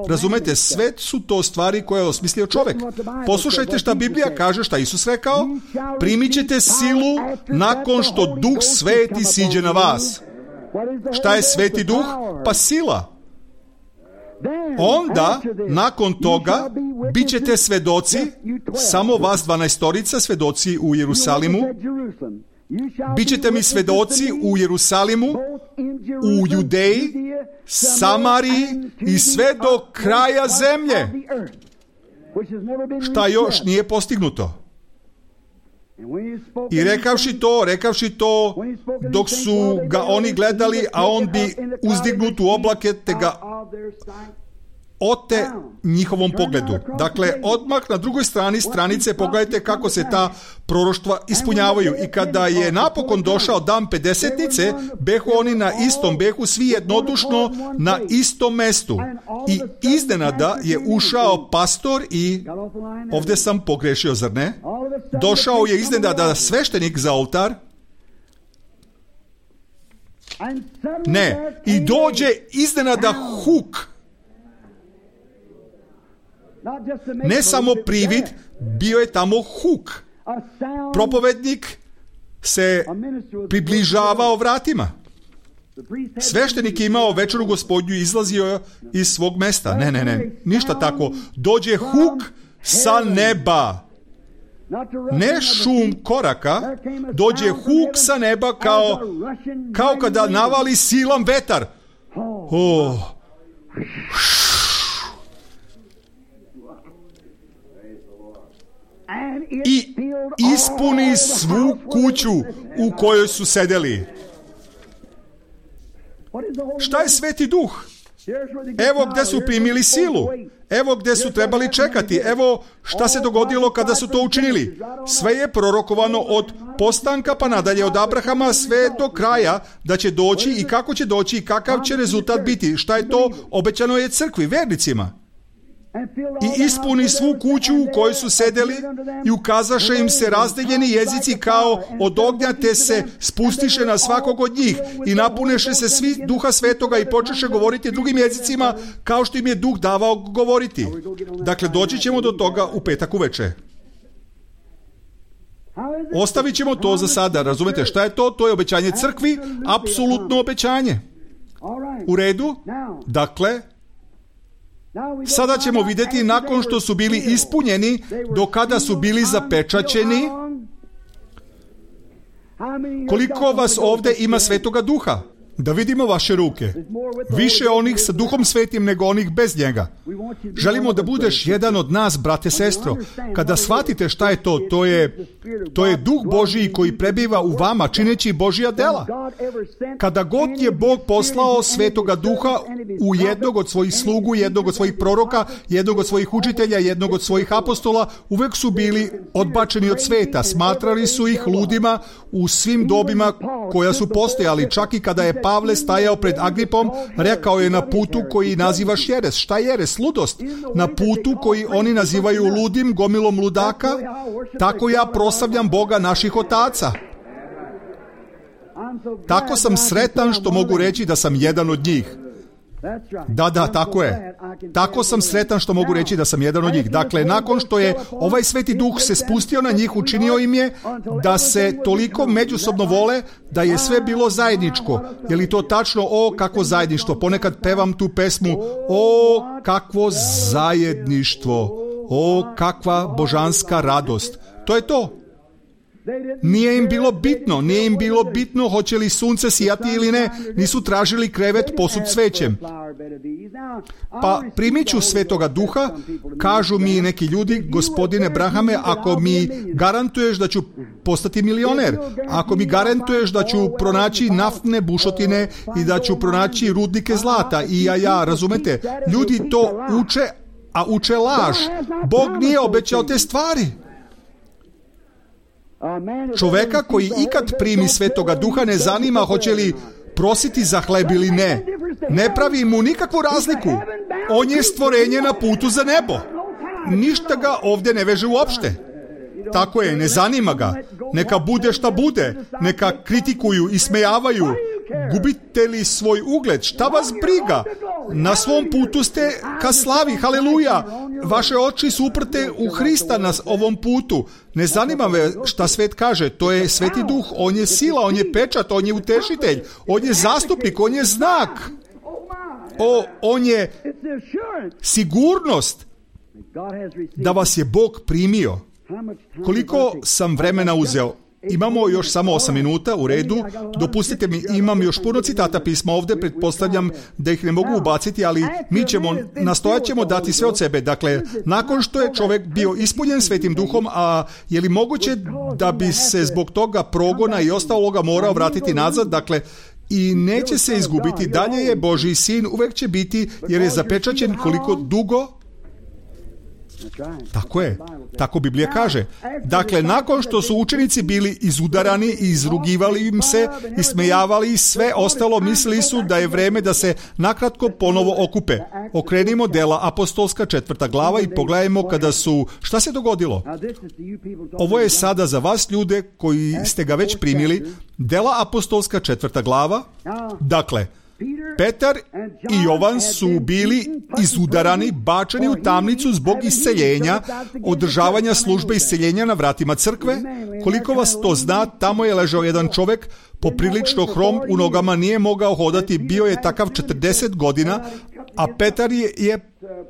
Razumete, sve su to stvari koje je osmislio čovjek. Poslušajte šta Biblija kaže, šta Isus rekao. Primit ćete silu nakon što Duh Sveti siđe na vas. Šta je Sveti Duh? Pa sila. Onda, nakon toga, bit ćete svedoci, samo vas dvanaestorica svedoci u Jerusalimu, bit ćete mi svedoci u Jerusalimu, u Judeji, Samariji i sve do kraja zemlje. Šta još nije postignuto? I rekavši to, rekavši to, dok su ga oni gledali, a on bi uzdignut u oblake, te ga ote njihovom pogledu. Dakle, odmah na drugoj strani stranice pogledajte kako se ta proroštva ispunjavaju. I kada je napokon došao dan pedesetnice, behu oni na istom, behu svi jednodušno na istom mestu. I iznenada je ušao pastor i, ovdje sam pogrešio, zar ne? Došao je iznenada sveštenik za oltar. Ne, i dođe iznenada huk. Ne samo privid, bio je tamo huk. Propovednik se približavao vratima. Sveštenik je imao večeru Gospodnju, izlazio iz svog mesta. Ne, ne, ne, ništa tako. Dođe huk sa neba. Ne šum koraka, dođe huk sa neba kao, kao kada navali silan vetar. Oh. I ispuni svu kuću u kojoj su sedeli. Šta je Sveti Duh? Evo gdje su primili silu. Evo gdje su trebali čekati. Evo šta se dogodilo kada su to učinili. Sve je prorokovano od postanka pa nadalje, od Abrahama sve do kraja, da će doći i kako će doći i kakav će rezultat biti. Šta je to? Obećano je crkvi, vernicima. i ispuni svu kuću u kojoj su sedeli i ukazaše im se razdeljeni jezici kao od ognja, te se spustiše na svakog od njih i napuneše se svi Duha Svetoga i počeše govoriti drugim jezicima kao što im je Duh davao govoriti. Dakle, doći ćemo do toga u petak uveče. Ostavit ćemo to za sada. Razumete šta je to? To je obećanje crkvi, apsolutno obećanje. U redu? Dakle, sada ćemo vidjeti nakon što su bili ispunjeni, do kada su bili zapečaćeni, koliko vas ovdje ima Svetoga Duha. Da vidimo vaše ruke. Više onih sa Duhom Svetim nego onih bez njega. Želimo da budeš jedan od nas, brate, sestro. Kada shvatite šta je to, to je, to je Duh Božiji koji prebiva u vama, čineći Božja dela. Kada god je Bog poslao Svetoga Duha u jednog od svojih slugu, jednog od svojih proroka, jednog od svojih učitelja, jednog od svojih apostola, uvek su bili odbačeni od sveta. Smatrali su ih ludima u svim dobima koja su postojali. Čak i kada je Pavle stajao pred Agripom, rekao je na putu koji nazivaš jeres. Šta je jeres? Ludost. Na putu koji oni nazivaju ludim, gomilom ludaka, tako ja proslavljam Boga naših otaca. Tako sam sretan što mogu reći da sam jedan od njih. Da, da, tako je. Tako sam sretan što mogu reći da sam jedan od njih. Dakle, nakon što je ovaj Sveti Duh se spustio na njih, učinio im je da se toliko međusobno vole da je sve bilo zajedničko. Je li to tačno? O, kakvo zajedništvo. Ponekad pevam tu pesmu. O, kakvo zajedništvo. O, kakva božanska radost. To je to. Nije im bilo bitno, nije im bilo bitno hoće li sunce sijati ili ne, nisu tražili krevet posut cvećem. Pa primit ću Svetoga Duha, kažu mi neki ljudi, gospodine Brahame, ako mi garantuješ da ću postati milioner, ako mi garantuješ da ću pronaći naftne bušotine i da ću pronaći rudnike zlata, i ja, ja, razumete, ljudi to uče, a uče laž. Bog nije obećao te stvari. Čoveka koji ikad primi Svetoga Duha ne zanima hoće li prositi za hleb ili ne. Ne pravi mu nikakvu razliku. On je stvorenje na putu za nebo. Ništa ga ovdje ne veže uopšte. Tako je, ne zanima ga. Neka bude šta bude. Neka kritikuju, ismejavaju. Gubite li svoj ugled? Šta vas briga? Na svom putu ste ka slavi, haleluja. Vaše oči su uprte u Hrista na ovom putu. Ne zanima me šta svet kaže. To je Sveti Duh. On je sila, on je pečat, on je utešitelj. On je zastupnik, on je znak. O, on je sigurnost da vas je Bog primio. Koliko sam vremena uzeo? Imamo još samo osam minuta, u redu. Dopustite mi, imam još puno citata pisma ovdje, pretpostavljam da ih ne mogu ubaciti, ali mi ćemo, nastojat ćemo dati sve od sebe. Dakle, nakon što je čovjek bio ispunjen Svetim Duhom, a je li moguće da bi se zbog toga progona i ostaloga morao vratiti nazad? Dakle, i neće se izgubiti, dalje je Božji sin, uvek će biti, jer je zapečaćen koliko dugo. Tako je, tako Biblija kaže. Dakle, nakon što su učenici bili izudarani i izrugivali im se, ismejavali sve ostalo, mislili su da je vreme da se nakratko ponovo okupe. Okrenimo Dela apostolska četvrta glava i pogledajmo kada su, šta se dogodilo? Ovo je sada za vas ljude koji ste ga već primili. Dela apostolska četvrta glava. Dakle, Petar i Jovan su bili izudarani, bačeni u tamnicu zbog isceljenja, održavanja službe isceljenja na vratima crkve. Koliko vas to zna, tamo je ležao jedan čovjek, poprilično hrom, u nogama nije mogao hodati, bio je takav četrdeset godina, a Petar je, je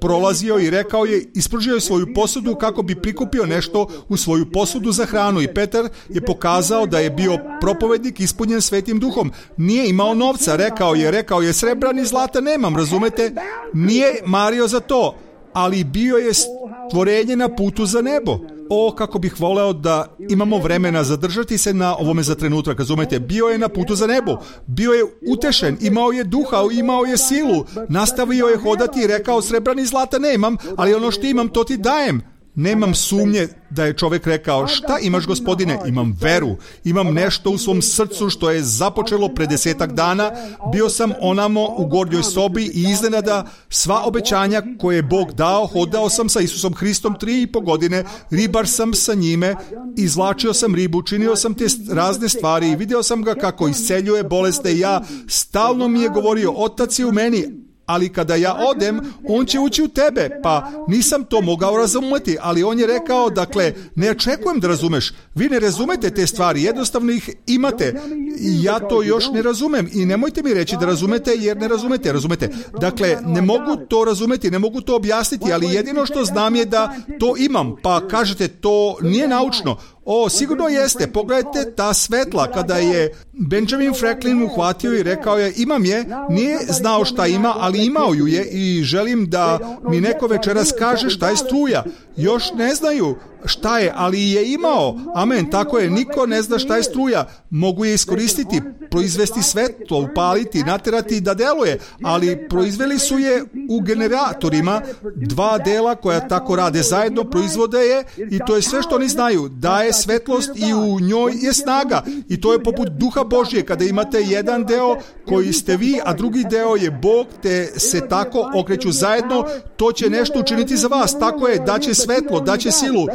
prolazio i rekao je, ispružio je svoju posudu kako bi prikupio nešto u svoju posudu za hranu, i Petar je pokazao da je bio propovednik ispunjen Svetim Duhom. Nije imao novca, rekao je, rekao je, srebra ni zlata nemam, razumete? Nije mario za to, ali bio je stvorenje na putu za nebo. O, kako bih voleo da imamo vremena zadržati se na ovome za trenutak, razumete? Bio je na putu za nebo, bio je utešen, imao je duha, imao je silu, nastavio je hodati i rekao, srebra ni zlata nemam, ali ono što imam to ti dajem. Nemam sumnje da je čovjek rekao, šta imaš gospodine? Imam veru, imam nešto u svom srcu što je započelo pre desetak dana, bio sam onamo u gornjoj sobi i iznenada sva obećanja koje je Bog dao, hodao sam sa Isusom Hristom tri i po godine, ribar sam sa njime, izvlačio sam ribu, činio sam te razne stvari i vidio sam ga kako isceljuje bolesti i ja, stalno mi je govorio, Otac je u meni, ali kada ja odem, on će ući u tebe, pa nisam to mogao razumjeti, ali on je rekao, dakle, ne očekujem da razumeš, vi ne razumete te stvari, jednostavno ih imate, i ja to još ne razumem i nemojte mi reći da razumete, jer ne razumete, razumete, dakle, ne mogu to razumeti, ne mogu to objasniti, ali jedino što znam je da to imam, pa kažete, to nije naučno. O, sigurno jeste. Pogledajte ta svetla. Kada je Benjamin Franklin uhvatio i rekao je, imam je, nije znao šta ima, ali imao ju je i želim da mi neko večeras kaže šta je struja. Još ne znaju šta je, ali je imao. Amen, tako je, niko ne zna šta je struja. Mogu je iskoristiti, proizvesti svetlo, upaliti, naterati da deluje, ali proizveli su je u generatorima, dva dela koja tako rade zajedno, proizvode je i to je sve što oni znaju. Daje svetlost i u njoj je snaga i to je poput duha Božje. Kada imate jedan deo koji ste vi, a drugi deo je Bog, te se tako okreću zajedno, to će nešto učiniti za vas. Tako je, daće svetlo, daće silu.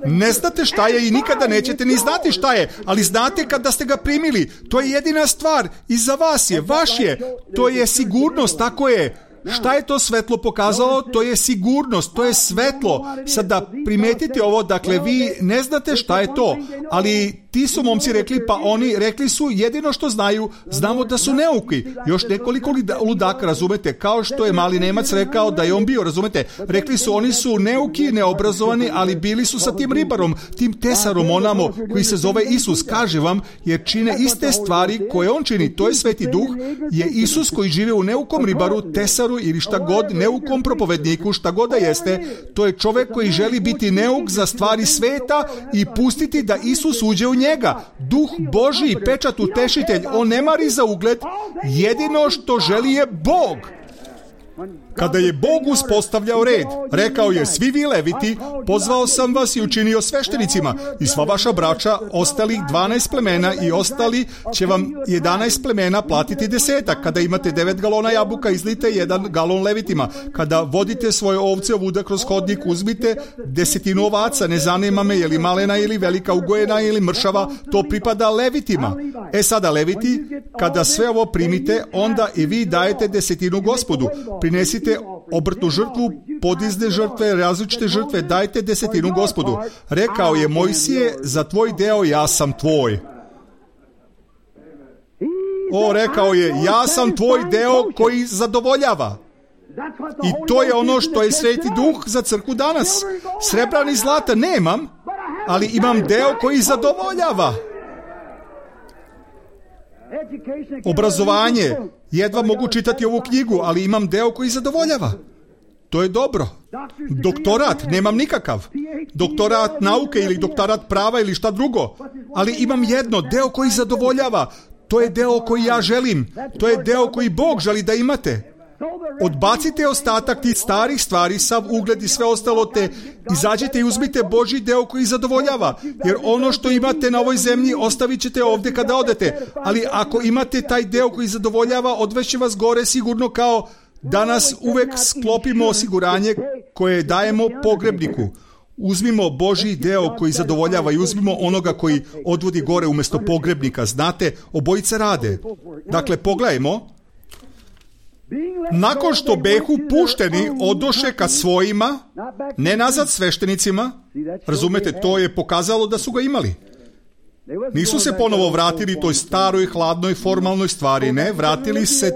Ne znate šta je i nikada nećete ni znati šta je, ali znate kada ste ga primili. To je jedina stvar i za vas je, vaš je. To je sigurnost, tako je. Šta je to svetlo pokazalo? To je sigurnost, to je svetlo. Sada primetite ovo, dakle vi ne znate šta je to, ali ti su momci rekli, pa oni rekli su jedino što znaju, znamo da su neuki. Još nekoliko ludaka, razumete, kao što je mali Nemac rekao da je on bio, razumete. Rekli su, oni su neuki, neobrazovani, ali bili su sa tim ribarom, tim tesarom onamo koji se zove Isus. Kaže vam, jer čine iste stvari koje on čini, to je Sveti Duh, je Isus koji žive u neukom ribaru, tesaru ili šta god, neukom propovedniku, šta god da jeste. To je čovjek koji želi biti neuk za stvari sveta i pustiti da Isus uđe u njega. Duh Božji, pečat utešitelj, on ne mari za ugled, jedino što želi je Bog. Kada je Bog uspostavljao red, rekao je, svi vi leviti, pozvao sam vas i učinio sveštenicima i sva vaša braća, ostalih dvanaest plemena i ostali će vam jedanaest plemena platiti desetak. Kada imate devet galona jabuka, izlite jedan galon levitima. Kada vodite svoje ovce ovuda kroz hodnik, uzmite desetinu ovaca, ne zanima me je li malena ili velika, ugojena ili mršava, to pripada levitima. E sada leviti, kada sve ovo primite, onda i vi dajete desetinu Gospodu. Prinesite obrtnu žrtvu, podizne žrtve, različite žrtve, dajte desetinu Gospodu. Rekao je Mojsije, za tvoj deo ja sam tvoj. O, rekao je, ja sam tvoj deo koji zadovoljava. I to je ono što je Sveti Duh za crkvu danas. Srebra ni zlata nemam, ali imam deo koji zadovoljava. Obrazovanje, jedva mogu čitati ovu knjigu, ali imam deo koji zadovoljava. To je dobro. Doktorat, nemam nikakav. Doktorat nauke ili doktorat prava ili šta drugo. Ali imam jedno, deo koji zadovoljava. To je deo koji ja želim. To je deo koji Bog želi da imate. Odbacite ostatak tih starih stvari, sav ugled i sve ostalo, te izađite i uzmite Božji deo koji zadovoljava, jer ono što imate na ovoj zemlji ostavit ćete ovdje kada odete, ali ako imate taj deo koji zadovoljava, odveće vas gore sigurno, kao danas uvek sklopimo osiguranje koje dajemo pogrebniku. Uzmimo Božji deo koji zadovoljava i uzmimo onoga koji odvodi gore umjesto pogrebnika. Znate, obojice rade. Dakle, pogledajmo. Nakon što behu pušteni odoše ka svojima, ne nazad sveštenicima, razumete, to je pokazalo da su ga imali. Nisu se ponovo vratili toj staroj, hladnoj, formalnoj stvari, ne, vratili se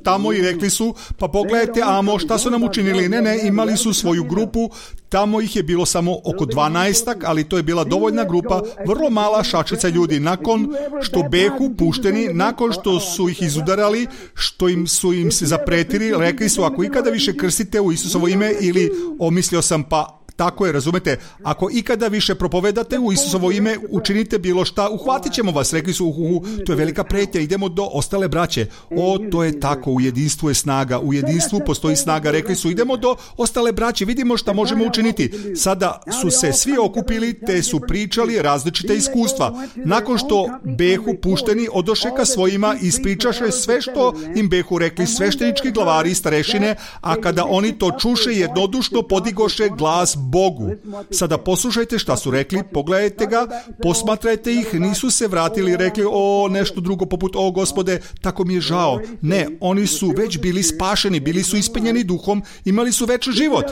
tamo i rekli su, pa pogledajte, amo, šta su nam učinili, ne, ne, imali su svoju grupu, tamo ih je bilo samo oko dvanaestak, ali to je bila dovoljna grupa, vrlo mala šačica ljudi, nakon što behu pušteni, nakon što su ih izudarali, što im su im se zapretili, rekli su, ako ikada više krstite u Isusovo ime, ili omislio sam, pa tako je, razumete, ako ikada više propovedate u Isusovo ime, učinite bilo šta, uhvatit ćemo vas. Rekli su, uhu, to je velika pretnja, idemo do ostale braće. O, to je tako, u jedinstvu je snaga, u jedinstvu postoji snaga. Rekli su, idemo do ostale braće, vidimo šta možemo učiniti. Sada su se svi okupili, te su pričali različite iskustva. Nakon što behu pušteni odoše ka svojima i ispričaše sve što im behu rekli sveštenički glavari i starešine, a kada oni to čuše, jednodušno podigoše glas Bogu. Sada poslušajte šta su rekli, pogledajte ga, posmatrajte ih, nisu se vratili i rekli, o, nešto drugo poput, o Gospode, tako mi je žao. Ne, oni su već bili spašeni, bili su ispunjeni duhom, imali su večni život.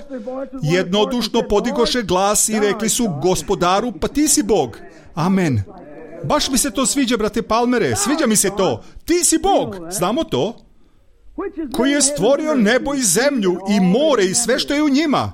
Jednodušno podigoše glas i rekli su, Gospodaru, pa ti si Bog. Amen. Baš mi se to sviđa, brate Palmere, sviđa mi se to. Ti si Bog, znamo to? Koji je stvorio nebo i zemlju i more i sve što je u njima.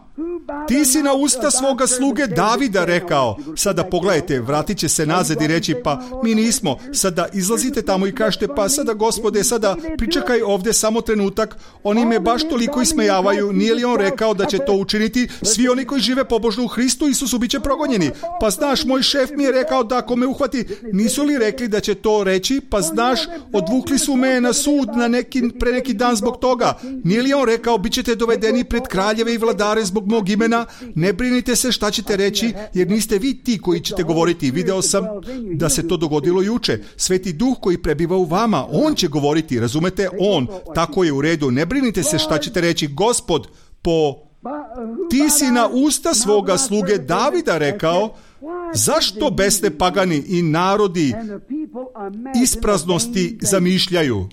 Ti si na usta svoga sluge Davida rekao. Sada pogledajte, vratit će se nazad i reći, pa mi nismo. Sada izlazite tamo i kažete, pa sada Gospode, sada pričekaj ovdje samo trenutak. Oni me baš toliko ismejavaju. Nije li on rekao da će to učiniti? Svi oni koji žive pobožno u Hristu Isusu bit će progonjeni. Pa znaš, moj šef mi je rekao da ako me uhvati, nisu li rekli da će to reći? Pa znaš, odvukli su me na sud na neki, pre neki dan zbog toga. Nije li on rekao, bit ćete dovedeni pred kraljeve i vladare zbog mog imena? Ne brinite se šta ćete reći, jer niste vi ti koji ćete govoriti. Video sam da se to dogodilo juče. Sveti Duh koji prebiva u vama, on će govoriti, razumete? On, tako je u redu. Ne brinite se šta ćete reći. Gospod, po ti si na usta svoga sluge Davida rekao, zašto besne pagani i narodi ispraznosti zamišljaju?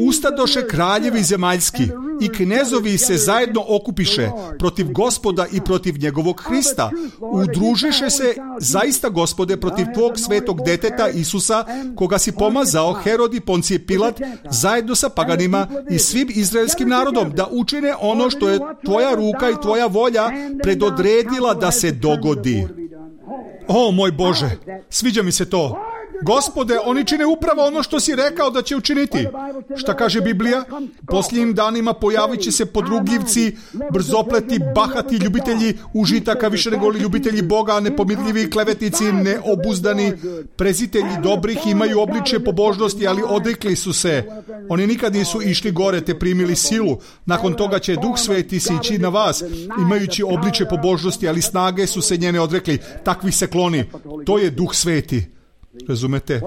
Ustadoše kraljevi zemaljski i knezovi se zajedno okupiše protiv Gospoda i protiv njegovog Hrista. Udružiše se zaista, Gospode, protiv tvog svetog deteta Isusa, koga si pomazao, Herod i Poncije Pilat, zajedno sa paganima i svim izraelskim narodom, da učine ono što je tvoja ruka i tvoja volja predodredila da se dogodi. O, moj Bože, sviđa mi se to. Gospode, oni čine upravo ono što si rekao da će učiniti. Šta kaže Biblija? Posljednjim danima pojavit će se podrugljivci, brzopleti, bahati, ljubitelji užitaka više nego li ljubitelji Boga, nepomirljivi, klevetnici, neobuzdani, prezitelji dobrih, imaju obličje pobožnosti, ali odrekli su se. Oni nikad nisu išli gore te primili silu. Nakon toga će Duh Sveti sići na vas, imajući obličje pobožnosti, ali snage su se njene odrekli. Takvi se kloni. To je Duh Sveti. Razumete?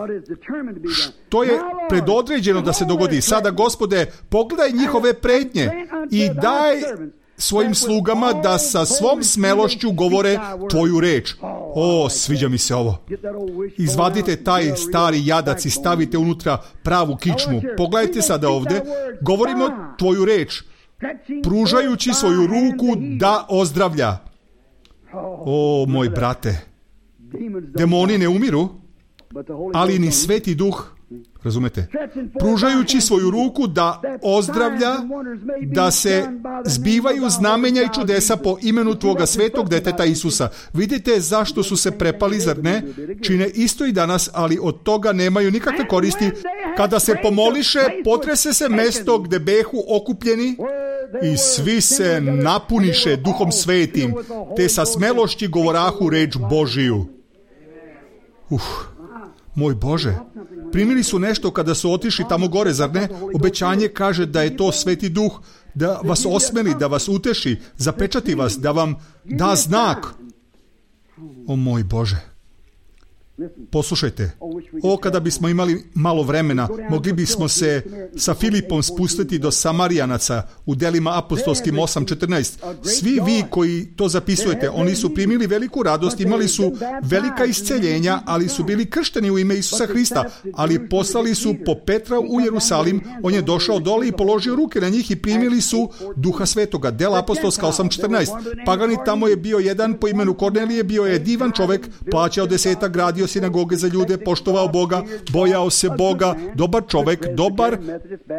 Što je predodređeno da se dogodi? Sada, Gospode, pogledaj njihove pretnje i daj svojim slugama da sa svom smelošću govore tvoju reč. O, sviđa mi se ovo. Izvadite taj stari jadac i stavite unutra pravu kičmu. Pogledajte sada ovdje. Govorimo tvoju reč, pružajući svoju ruku da ozdravlja. O, moj brate, demoni ne umiru, ali ni Sveti Duh, razumete, pružajući svoju ruku da ozdravlja, da se zbivaju znamenja i čudesa po imenu tvoga svetog deteta Isusa. Vidite zašto su se prepali, zar ne? Čine isto i danas, ali od toga nemaju nikakve koristi. Kada se pomoliše, potrese se mesto gde behu okupljeni i svi se napuniše Duhom Svetim, te sa smelošći govorahu reč Božiju. Uf, moj Bože, primili su nešto kada su otišli tamo gore, zar ne? Obećanje kaže da je to Sveti Duh, da vas osmeli, da vas uteši, zapečati vas, da vam da znak. O moj Bože, poslušajte, o kada bismo imali malo vremena, mogli bismo se sa Filipom spustiti do Samarijanaca u delima apostolskim osam četrnaest. Svi vi koji to zapisujete, oni su primili veliku radost, imali su velika isceljenja, ali su bili kršteni u ime Isusa Hrista, ali poslali su po Petra u Jerusalim, on je došao dole i položio ruke na njih i primili su Duha Svetoga. Dela apostolska osam četrnaest. Pagani tamo je bio jedan po imenu Kornelije, bio je divan čovek, plaćao desetak, gradio sinagoge za ljude, poštovao Boga, bojao se Boga, dobar čovek, dobar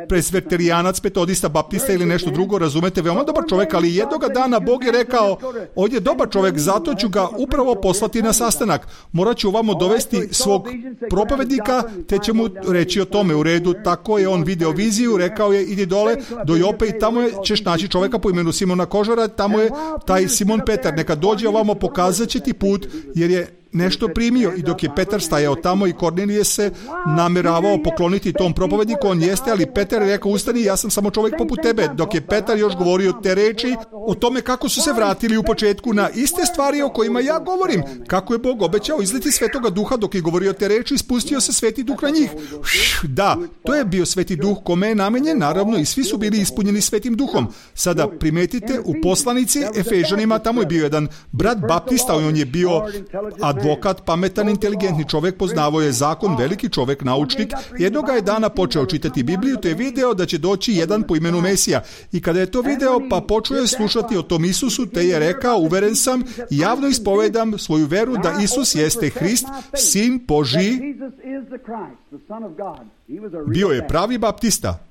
presveterijanac, metodista, baptista ili nešto drugo, razumete, veoma dobar čovek, ali jednoga dana Bog je rekao, on je dobar čovek, zato ću ga upravo poslati na sastanak. Morat ću ovamo dovesti svog propovednika, te će mu reći o tome. U redu, tako je on video viziju, rekao je, idi dole do Jope i tamo je, ćeš naći čoveka po imenu Simona Kožara, tamo je taj Simon Petar, neka dođe ovamo, pokazat će ti put, jer je nešto primio. I dok je Petar stajao tamo i Kornelije se nameravao pokloniti tom propovedniku, on jeste, ali Petar je rekao, ustani, ja sam samo čovjek poput tebe. Dok je Petar još govorio te reči o tome kako su se vratili u početku na iste stvari o kojima ja govorim, kako je Bog obećao izliti Svetoga Duha, dok je govorio te reči, spustio se Sveti Duh na njih. Da, to je bio Sveti Duh kome je namenjen, naravno, i svi su bili ispunjeni Svetim Duhom. Sada primetite u poslanici Efežanima, tamo je bio jedan brat baptista, on je bio advokat, pametan, inteligentni čovjek, poznavao je zakon, veliki čovjek, naučnik. Jednoga je dana počeo čitati Bibliju, te je video da će doći jedan po imenu Mesija. I kada je to video, pa počeo je slušati o tom Isusu, te je rekao, uveren sam, javno ispovedam svoju veru da Isus jeste Hrist, Sin Božji. Bio je pravi baptista.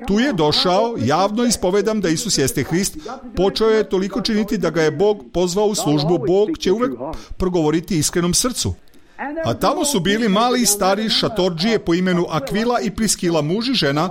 Tu je došao, javno ispovedam da Isus jeste Hrist, počeo je toliko činiti da ga je Bog pozvao u službu. Bog će uvek progovoriti iskrenom srcu. A tamo su bili mali i stari šatorđije po imenu Akvila i Priskila, muž i žena.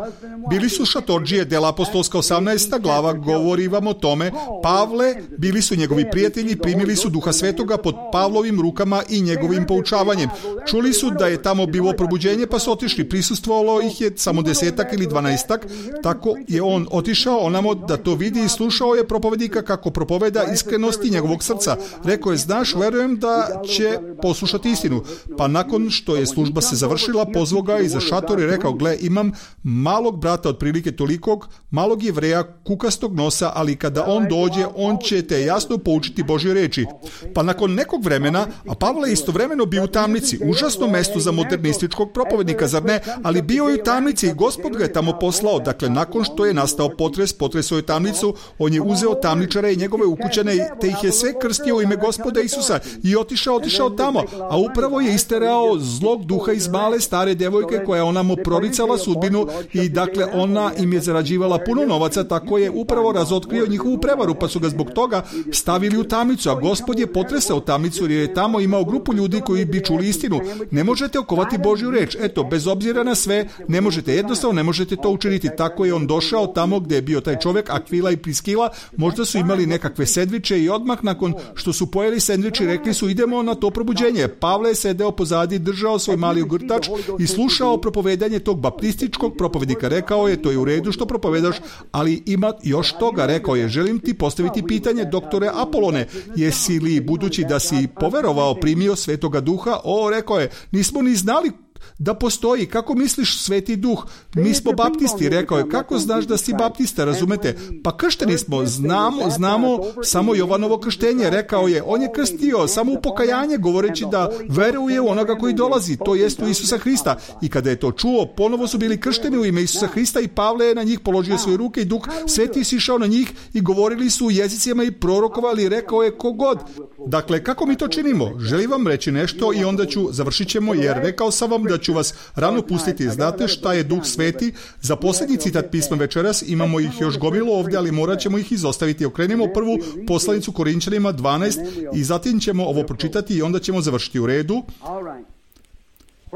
Bili su šatorđije, Dela apostolska osamnaesta glava, govori vam o tome. Pavle, bili su njegovi prijatelji, primili su Duha Svetoga pod Pavlovim rukama i njegovim poučavanjem. Čuli su da je tamo bilo probuđenje, pa su otišli. Prisustvovalo ih je samo desetak ili dvanaestak. Tako je on otišao onamo da to vidi i slušao je propovednika kako propoveda iskrenosti njegovog srca. Rekao je, znaš, verujem da će poslušati istinu. Pa nakon što je služba se završila, pozvao ga iza šator i rekao, gle, imam malog brata otprilike tolikog, malog Jevreja, kukastog nosa, ali kada on dođe, on će te jasno poučiti Božje reči. Pa nakon nekog vremena, a Pavle je istovremeno bio u tamnici, užasno mesto za modernističkog propovednika, zar ne? Ali bio je u tamnici i Gospod ga je tamo poslao. Dakle, nakon što je nastao potres, potresao je tamnicu, on je uzeo tamničare i njegove ukućane, te ih je sve krstio u ime Gospoda Isusa i otišao, otišao tamo, a upravo je isterao zlog duha iz male stare devojke koja ona mu proricala sudbinu i dakle ona im je zarađivala puno novaca, tako je upravo razotkrio njihovu prevaru, pa su ga zbog toga stavili u tamnicu, a Gospod je potresao tamnicu jer je tamo imao grupu ljudi koji bi čuli istinu. Ne možete okovati Božju reč, eto, bez obzira na sve, ne možete, jednostavno ne možete to učiniti. Tako je on došao tamo gdje je bio taj čovjek, Akvila i Priskila, možda su imali nekakve sendviče i odmah nakon što su pojeli sendviči rekli su, idemo na to probuđenje. Pavle je sedeo pozadi, držao svoj mali ogrtač i slušao propovedanje tog baptističkog propovednika. Rekao je, to je u redu što propovedaš, ali ima još toga. Rekao je, želim ti postaviti pitanje, doktore Apolone, jesi li, budući da si poverovao, primio Svetoga Duha? O, rekao je, nismo ni znali da postoji. Kako misliš Sveti Duh? Mi smo baptisti. Rekao je, kako znaš da si baptista, razumete? Pa kršteni smo, znamo, znamo samo Jovanovo krštenje. Rekao je, on je krstio samo u pokajanje, govoreći da veruje u onoga koji dolazi, to jest u Isusa Hrista. I kada je to čuo, ponovo su bili kršteni u ime Isusa Hrista i Pavle je na njih položio svoje ruke i Duh Sveti sišao na njih i govorili su u jezicima i prorokovali. Rekao je, kogod. Dakle, kako mi to činimo? Želim vam reći nešto i onda ću, završit ćemo, jer rekao sam vam da ću vas rano pustiti. Znate šta je Duh Sveti? Za posljednji citat pisma večeras, imamo ih još gomilo ovdje, ali morat ćemo ih izostaviti. Okrenimo prvu poslanicu Korinčanima dvanaest i zatim ćemo ovo pročitati i onda ćemo završiti. U redu.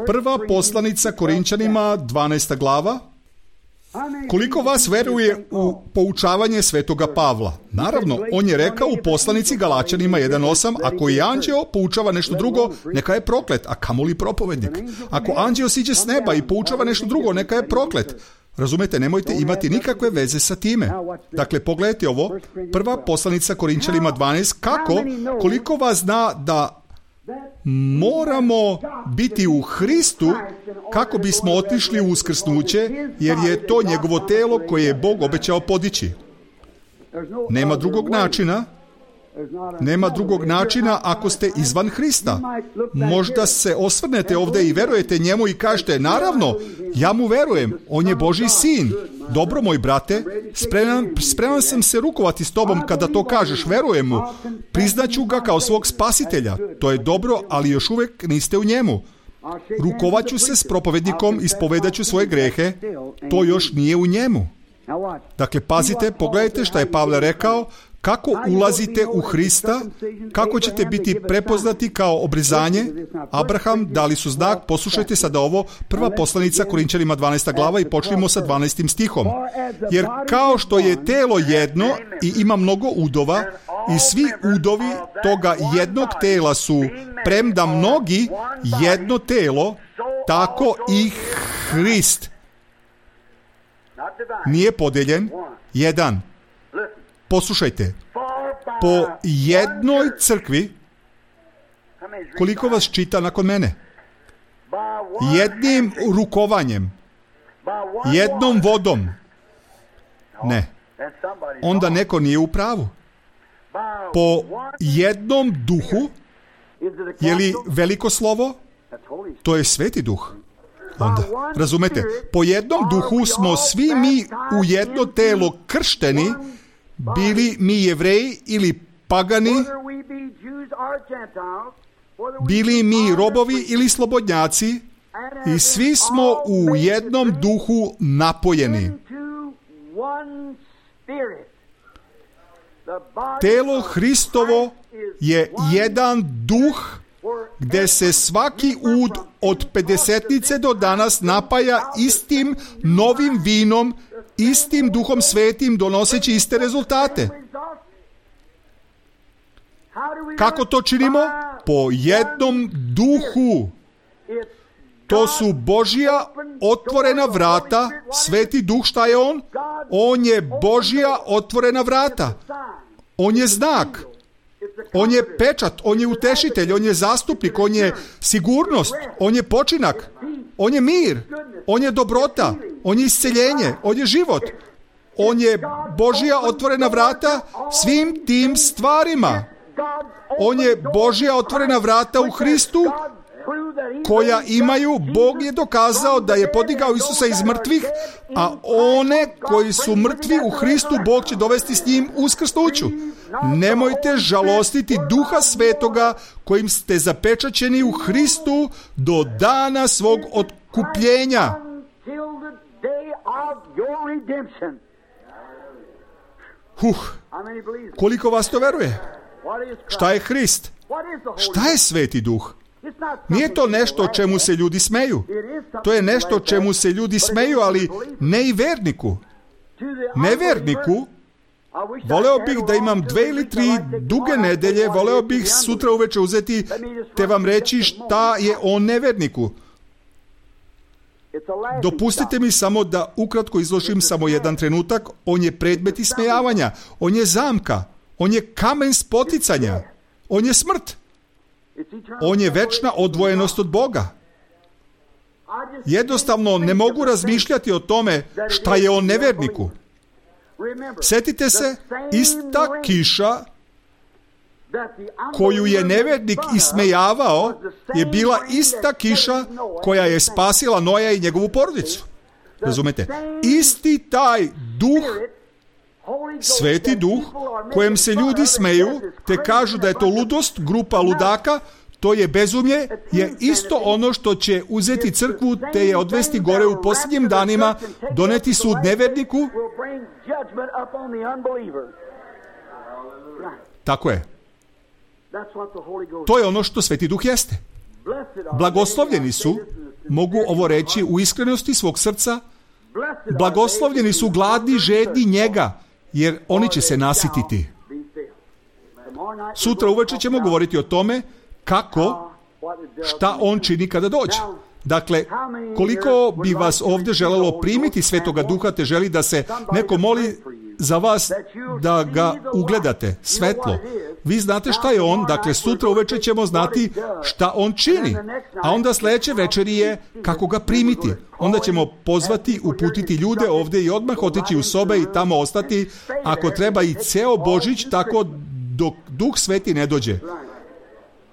Prva poslanica Korinčanima dvanaesta glava. Koliko vas veruje u poučavanje Svetoga Pavla? Naravno, on je rekao u poslanici Galačanima jedan osam, ako i anđeo poučava nešto drugo, neka je proklet, a kamoli propovednik. Ako anđeo siđe s neba i poučava nešto drugo, neka je proklet. Razumete, nemojte imati nikakve veze sa time. Dakle, pogledajte ovo, prva poslanica Korinčanima dvanaest, kako, koliko vas zna da moramo biti u Hristu kako bismo otišli u uskrsnuće, jer je to njegovo telo koje je Bog obećao podići. Nema drugog načina. Nema drugog načina ako ste izvan Hrista. Možda se osvrnete ovdje i verujete njemu i kažete, naravno, ja mu verujem, on je Božji sin. Dobro, moj brate, spreman, spreman sam se rukovati s tobom kada to kažeš, verujem mu. Priznaću ga kao svog spasitelja. To je dobro, ali još uvijek niste u njemu. Rukovaću se s propovednikom, ispovedaću svoje grehe, to još nije u njemu. Dakle, pazite, pogledajte šta je Pavle rekao, kako ulazite u Hrista, kako ćete biti prepoznati kao obrezanje. Abraham dali su znak, poslušajte sada ovo, prva poslanica Korinčanima dvanaesta glava i počnimo sa dvanaestim stihom. Jer kao što je telo jedno i ima mnogo udova i svi udovi toga jednog tela su, premda mnogi, jedno telo, tako i Hrist nije podeljen, jedan. Poslušajte, po jednoj crkvi, koliko vas čita nakon mene? Jednim rukovanjem, jednom vodom. Ne, onda neko nije u pravu. Po jednom duhu, je li veliko slovo? To je Sveti duh. Onda, razumete, po jednom duhu smo svi mi u jedno telo kršteni, bili mi Jevreji ili pagani, bili mi robovi ili slobodnjaci, i svi smo u jednom duhu napojeni. Telo Hristovo je jedan duh gdje se svaki ud od pedesetnice do danas napaja istim novim vinom, istim duhom svetim, donoseći iste rezultate. Kako to činimo? Po jednom duhu. To su Božja otvorena vrata. Sveti duh, šta je on? On je Božja otvorena vrata. On je znak. On je pečat, on je utešitelj, on je zastupnik, on je sigurnost, on je počinak, on je mir, on je dobrota, on je isceljenje, on je život. On je Božja otvorena vrata svim tim stvarima. On je Božja otvorena vrata u Hristu koja imaju, Bog je dokazao da je podigao Isusa iz mrtvih, a one koji su mrtvi u Hristu, Bog će dovesti s njim uskrsnuću. Nemojte žalostiti Duha Svetoga kojim ste zapečaćeni u Hristu do dana svog otkupljenja. Huh, koliko vas to veruje? Šta je Hrist? Šta je Sveti Duh? Nije to nešto čemu se ljudi smeju. To je nešto čemu se ljudi smeju, ali ne i verniku. Neverniku, voleo bih da imam dve ili tri duge nedelje, voleo bih sutra uveče uzeti te vam reći šta je o neverniku. Dopustite mi samo da ukratko izložim samo jedan trenutak. On je predmet ismejavanja, on je zamka, on je kamen spoticanja, on je smrt. On je večna odvojenost od Boga. Jednostavno ne mogu razmišljati o tome šta je on neverniku. Sjetite se, ista kiša koju je nevernik ismejavao je bila ista kiša koja je spasila Noja i njegovu porodicu. Razumete? Isti taj duh, Sveti duh, kojem se ljudi smeju, te kažu da je to ludost, grupa ludaka, to je bezumlje, je isto ono što će uzeti crkvu te je odvesti gore u posljednjim danima, doneti sud neverniku. Tako je. To je ono što Sveti Duh jeste. Blagoslovljeni su, mogu ovo reći u iskrenosti svog srca, blagoslovljeni su gladni, žedni njega, jer oni će se nasititi. Sutra uveče ćemo govoriti o tome kako, šta on čini kada dođe. Dakle, koliko bi vas ovdje želelo primiti Svetoga Duha, te želi da se neko moli za vas da ga ugledate, svetlo. Vi znate šta je on, dakle sutra uveče ćemo znati šta on čini, a onda sljedeće večeri je kako ga primiti. Onda ćemo pozvati, uputiti ljude ovdje i odmah otići u sobe i tamo ostati, ako treba i ceo Božić, tako dok Duh Sveti ne dođe.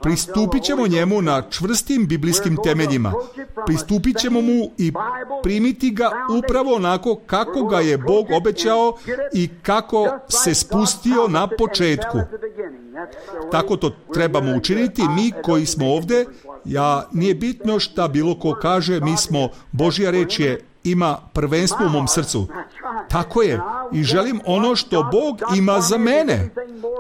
Pristupit ćemo njemu na čvrstim biblijskim temeljima. Pristupit ćemo mu i primiti ga upravo onako kako ga je Bog obećao i kako se spustio na početku. Tako to trebamo učiniti mi koji smo ovdje. Ja, nije bitno šta bilo ko kaže, mi smo, Božja reč je, ima prvenstvo u mom srcu. Tako je. I želim ono što Bog ima za mene.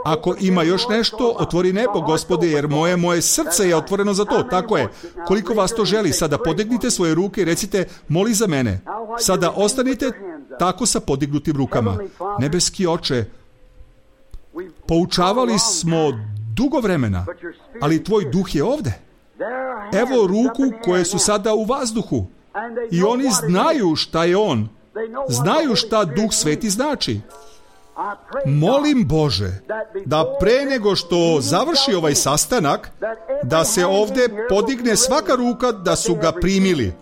Ako ima još nešto, otvori nebo, Gospode, jer moje, moje srce je otvoreno za to. Tako je. Koliko vas to želi, sada podignite svoje ruke i recite, moli za mene. Sada ostanite tako sa podignutim rukama. Nebeski Oče, poučavali smo dugo vremena, ali tvoj duh je ovdje. Evo ruku koje su sada u vazduhu. I oni znaju šta je on. Znaju šta Duh Sveti znači. Molim Bože da pre nego što završi ovaj sastanak, da se ovdje podigne svaka ruka da su ga primili.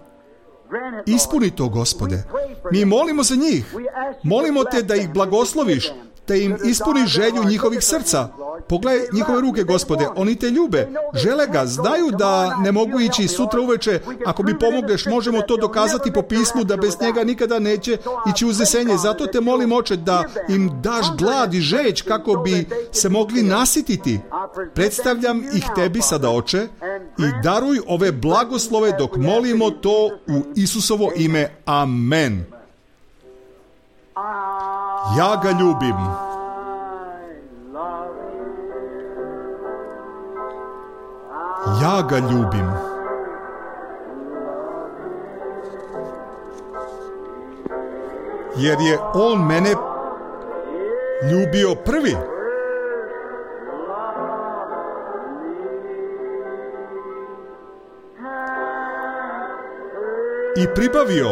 Ispuni to, Gospode. Mi molimo za njih. Molimo te da ih blagosloviš, da im ispuni želju njihovih srca. Pogledaj njihove ruke, Gospode, oni te ljube, žele ga, znaju da ne mogu ići sutra uveče. Ako mi pomogneš, možemo to dokazati po pismu da bez njega nikada neće ići uznesenje. Zato te molim, Oče, da im daš glad i žeć kako bi se mogli nasititi. Predstavljam ih tebi sada, Oče, i daruj ove blagoslove dok molimo to u Isusovo ime. Amen. Ja ga ljubim. Ja ga ljubim. Jer je on mene ljubio prvi. I pribavio.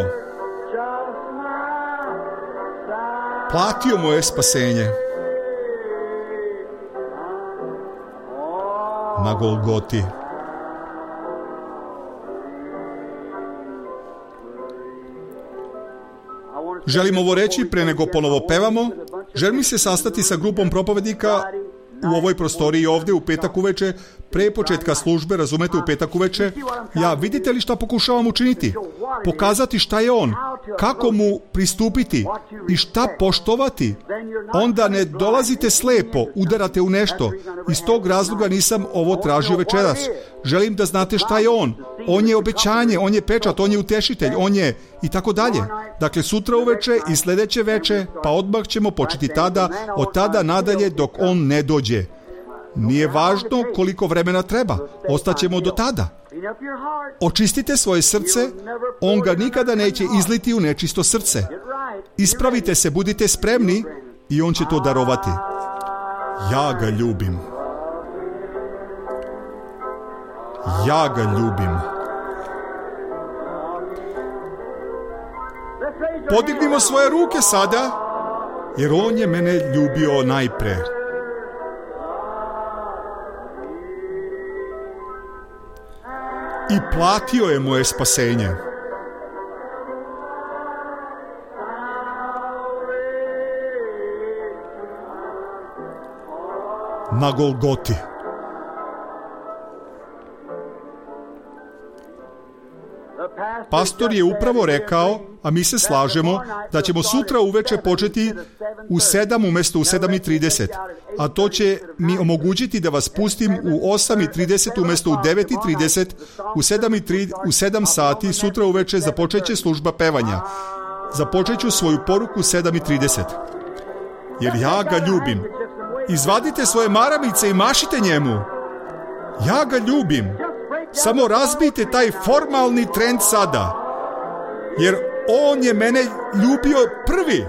Platio moje spasenje. Na Golgoti. Želim ovo reći pre nego ponovo pevamo. Želim se sastati sa grupom propovednika u ovoj prostoriji ovdje u petak uveče, pre početka službe, razumete, u petak uveče. Ja, vidite li šta pokušavam učiniti? Pokazati šta je on, kako mu pristupiti i šta poštovati. Onda ne dolazite slepo, udarate u nešto. Iz tog razloga nisam ovo tražio večeras. Želim da znate šta je on. On je obećanje, on je pečat, on je utešitelj, on je i tako dalje. Dakle, sutra uveče i sljedeće veče, pa odmah ćemo početi tada, od tada nadalje dok on ne dođe. Nije važno koliko vremena treba, ostaćemo do tada. Očistite svoje srce, on ga nikada neće izliti u nečisto srce. Ispravite se, budite spremni i on će to darovati. Ja ga ljubim. Ja ga ljubim. Podignimo svoje ruke sada, jer on je mene ljubio najpre. I platio je moje spasenje. Na Golgoti. Pastor je upravo rekao, a mi se slažemo, da ćemo sutra uveče početi u sedam umjesto u sedam i trideset. A to će mi omogućiti da vas pustim u osam i trideset umjesto u devet i trideset, u sedam, i tri, u sedam sati sutra uveče započet će služba pevanja. Započet ću svoju poruku u sedam i trideset. Jer ja ga ljubim. Izvadite svoje maramice i mašite njemu. Ja ga ljubim. Samo razbijte taj formalni trend sada. Jer on je mene ljubio prvi.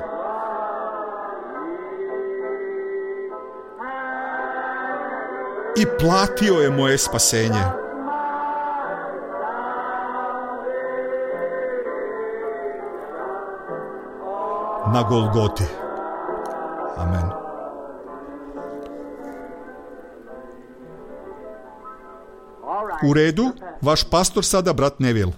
I platio je moje spasenje. Na Golgoti. Amen. U redu, vaš pastor sada, brat Neville.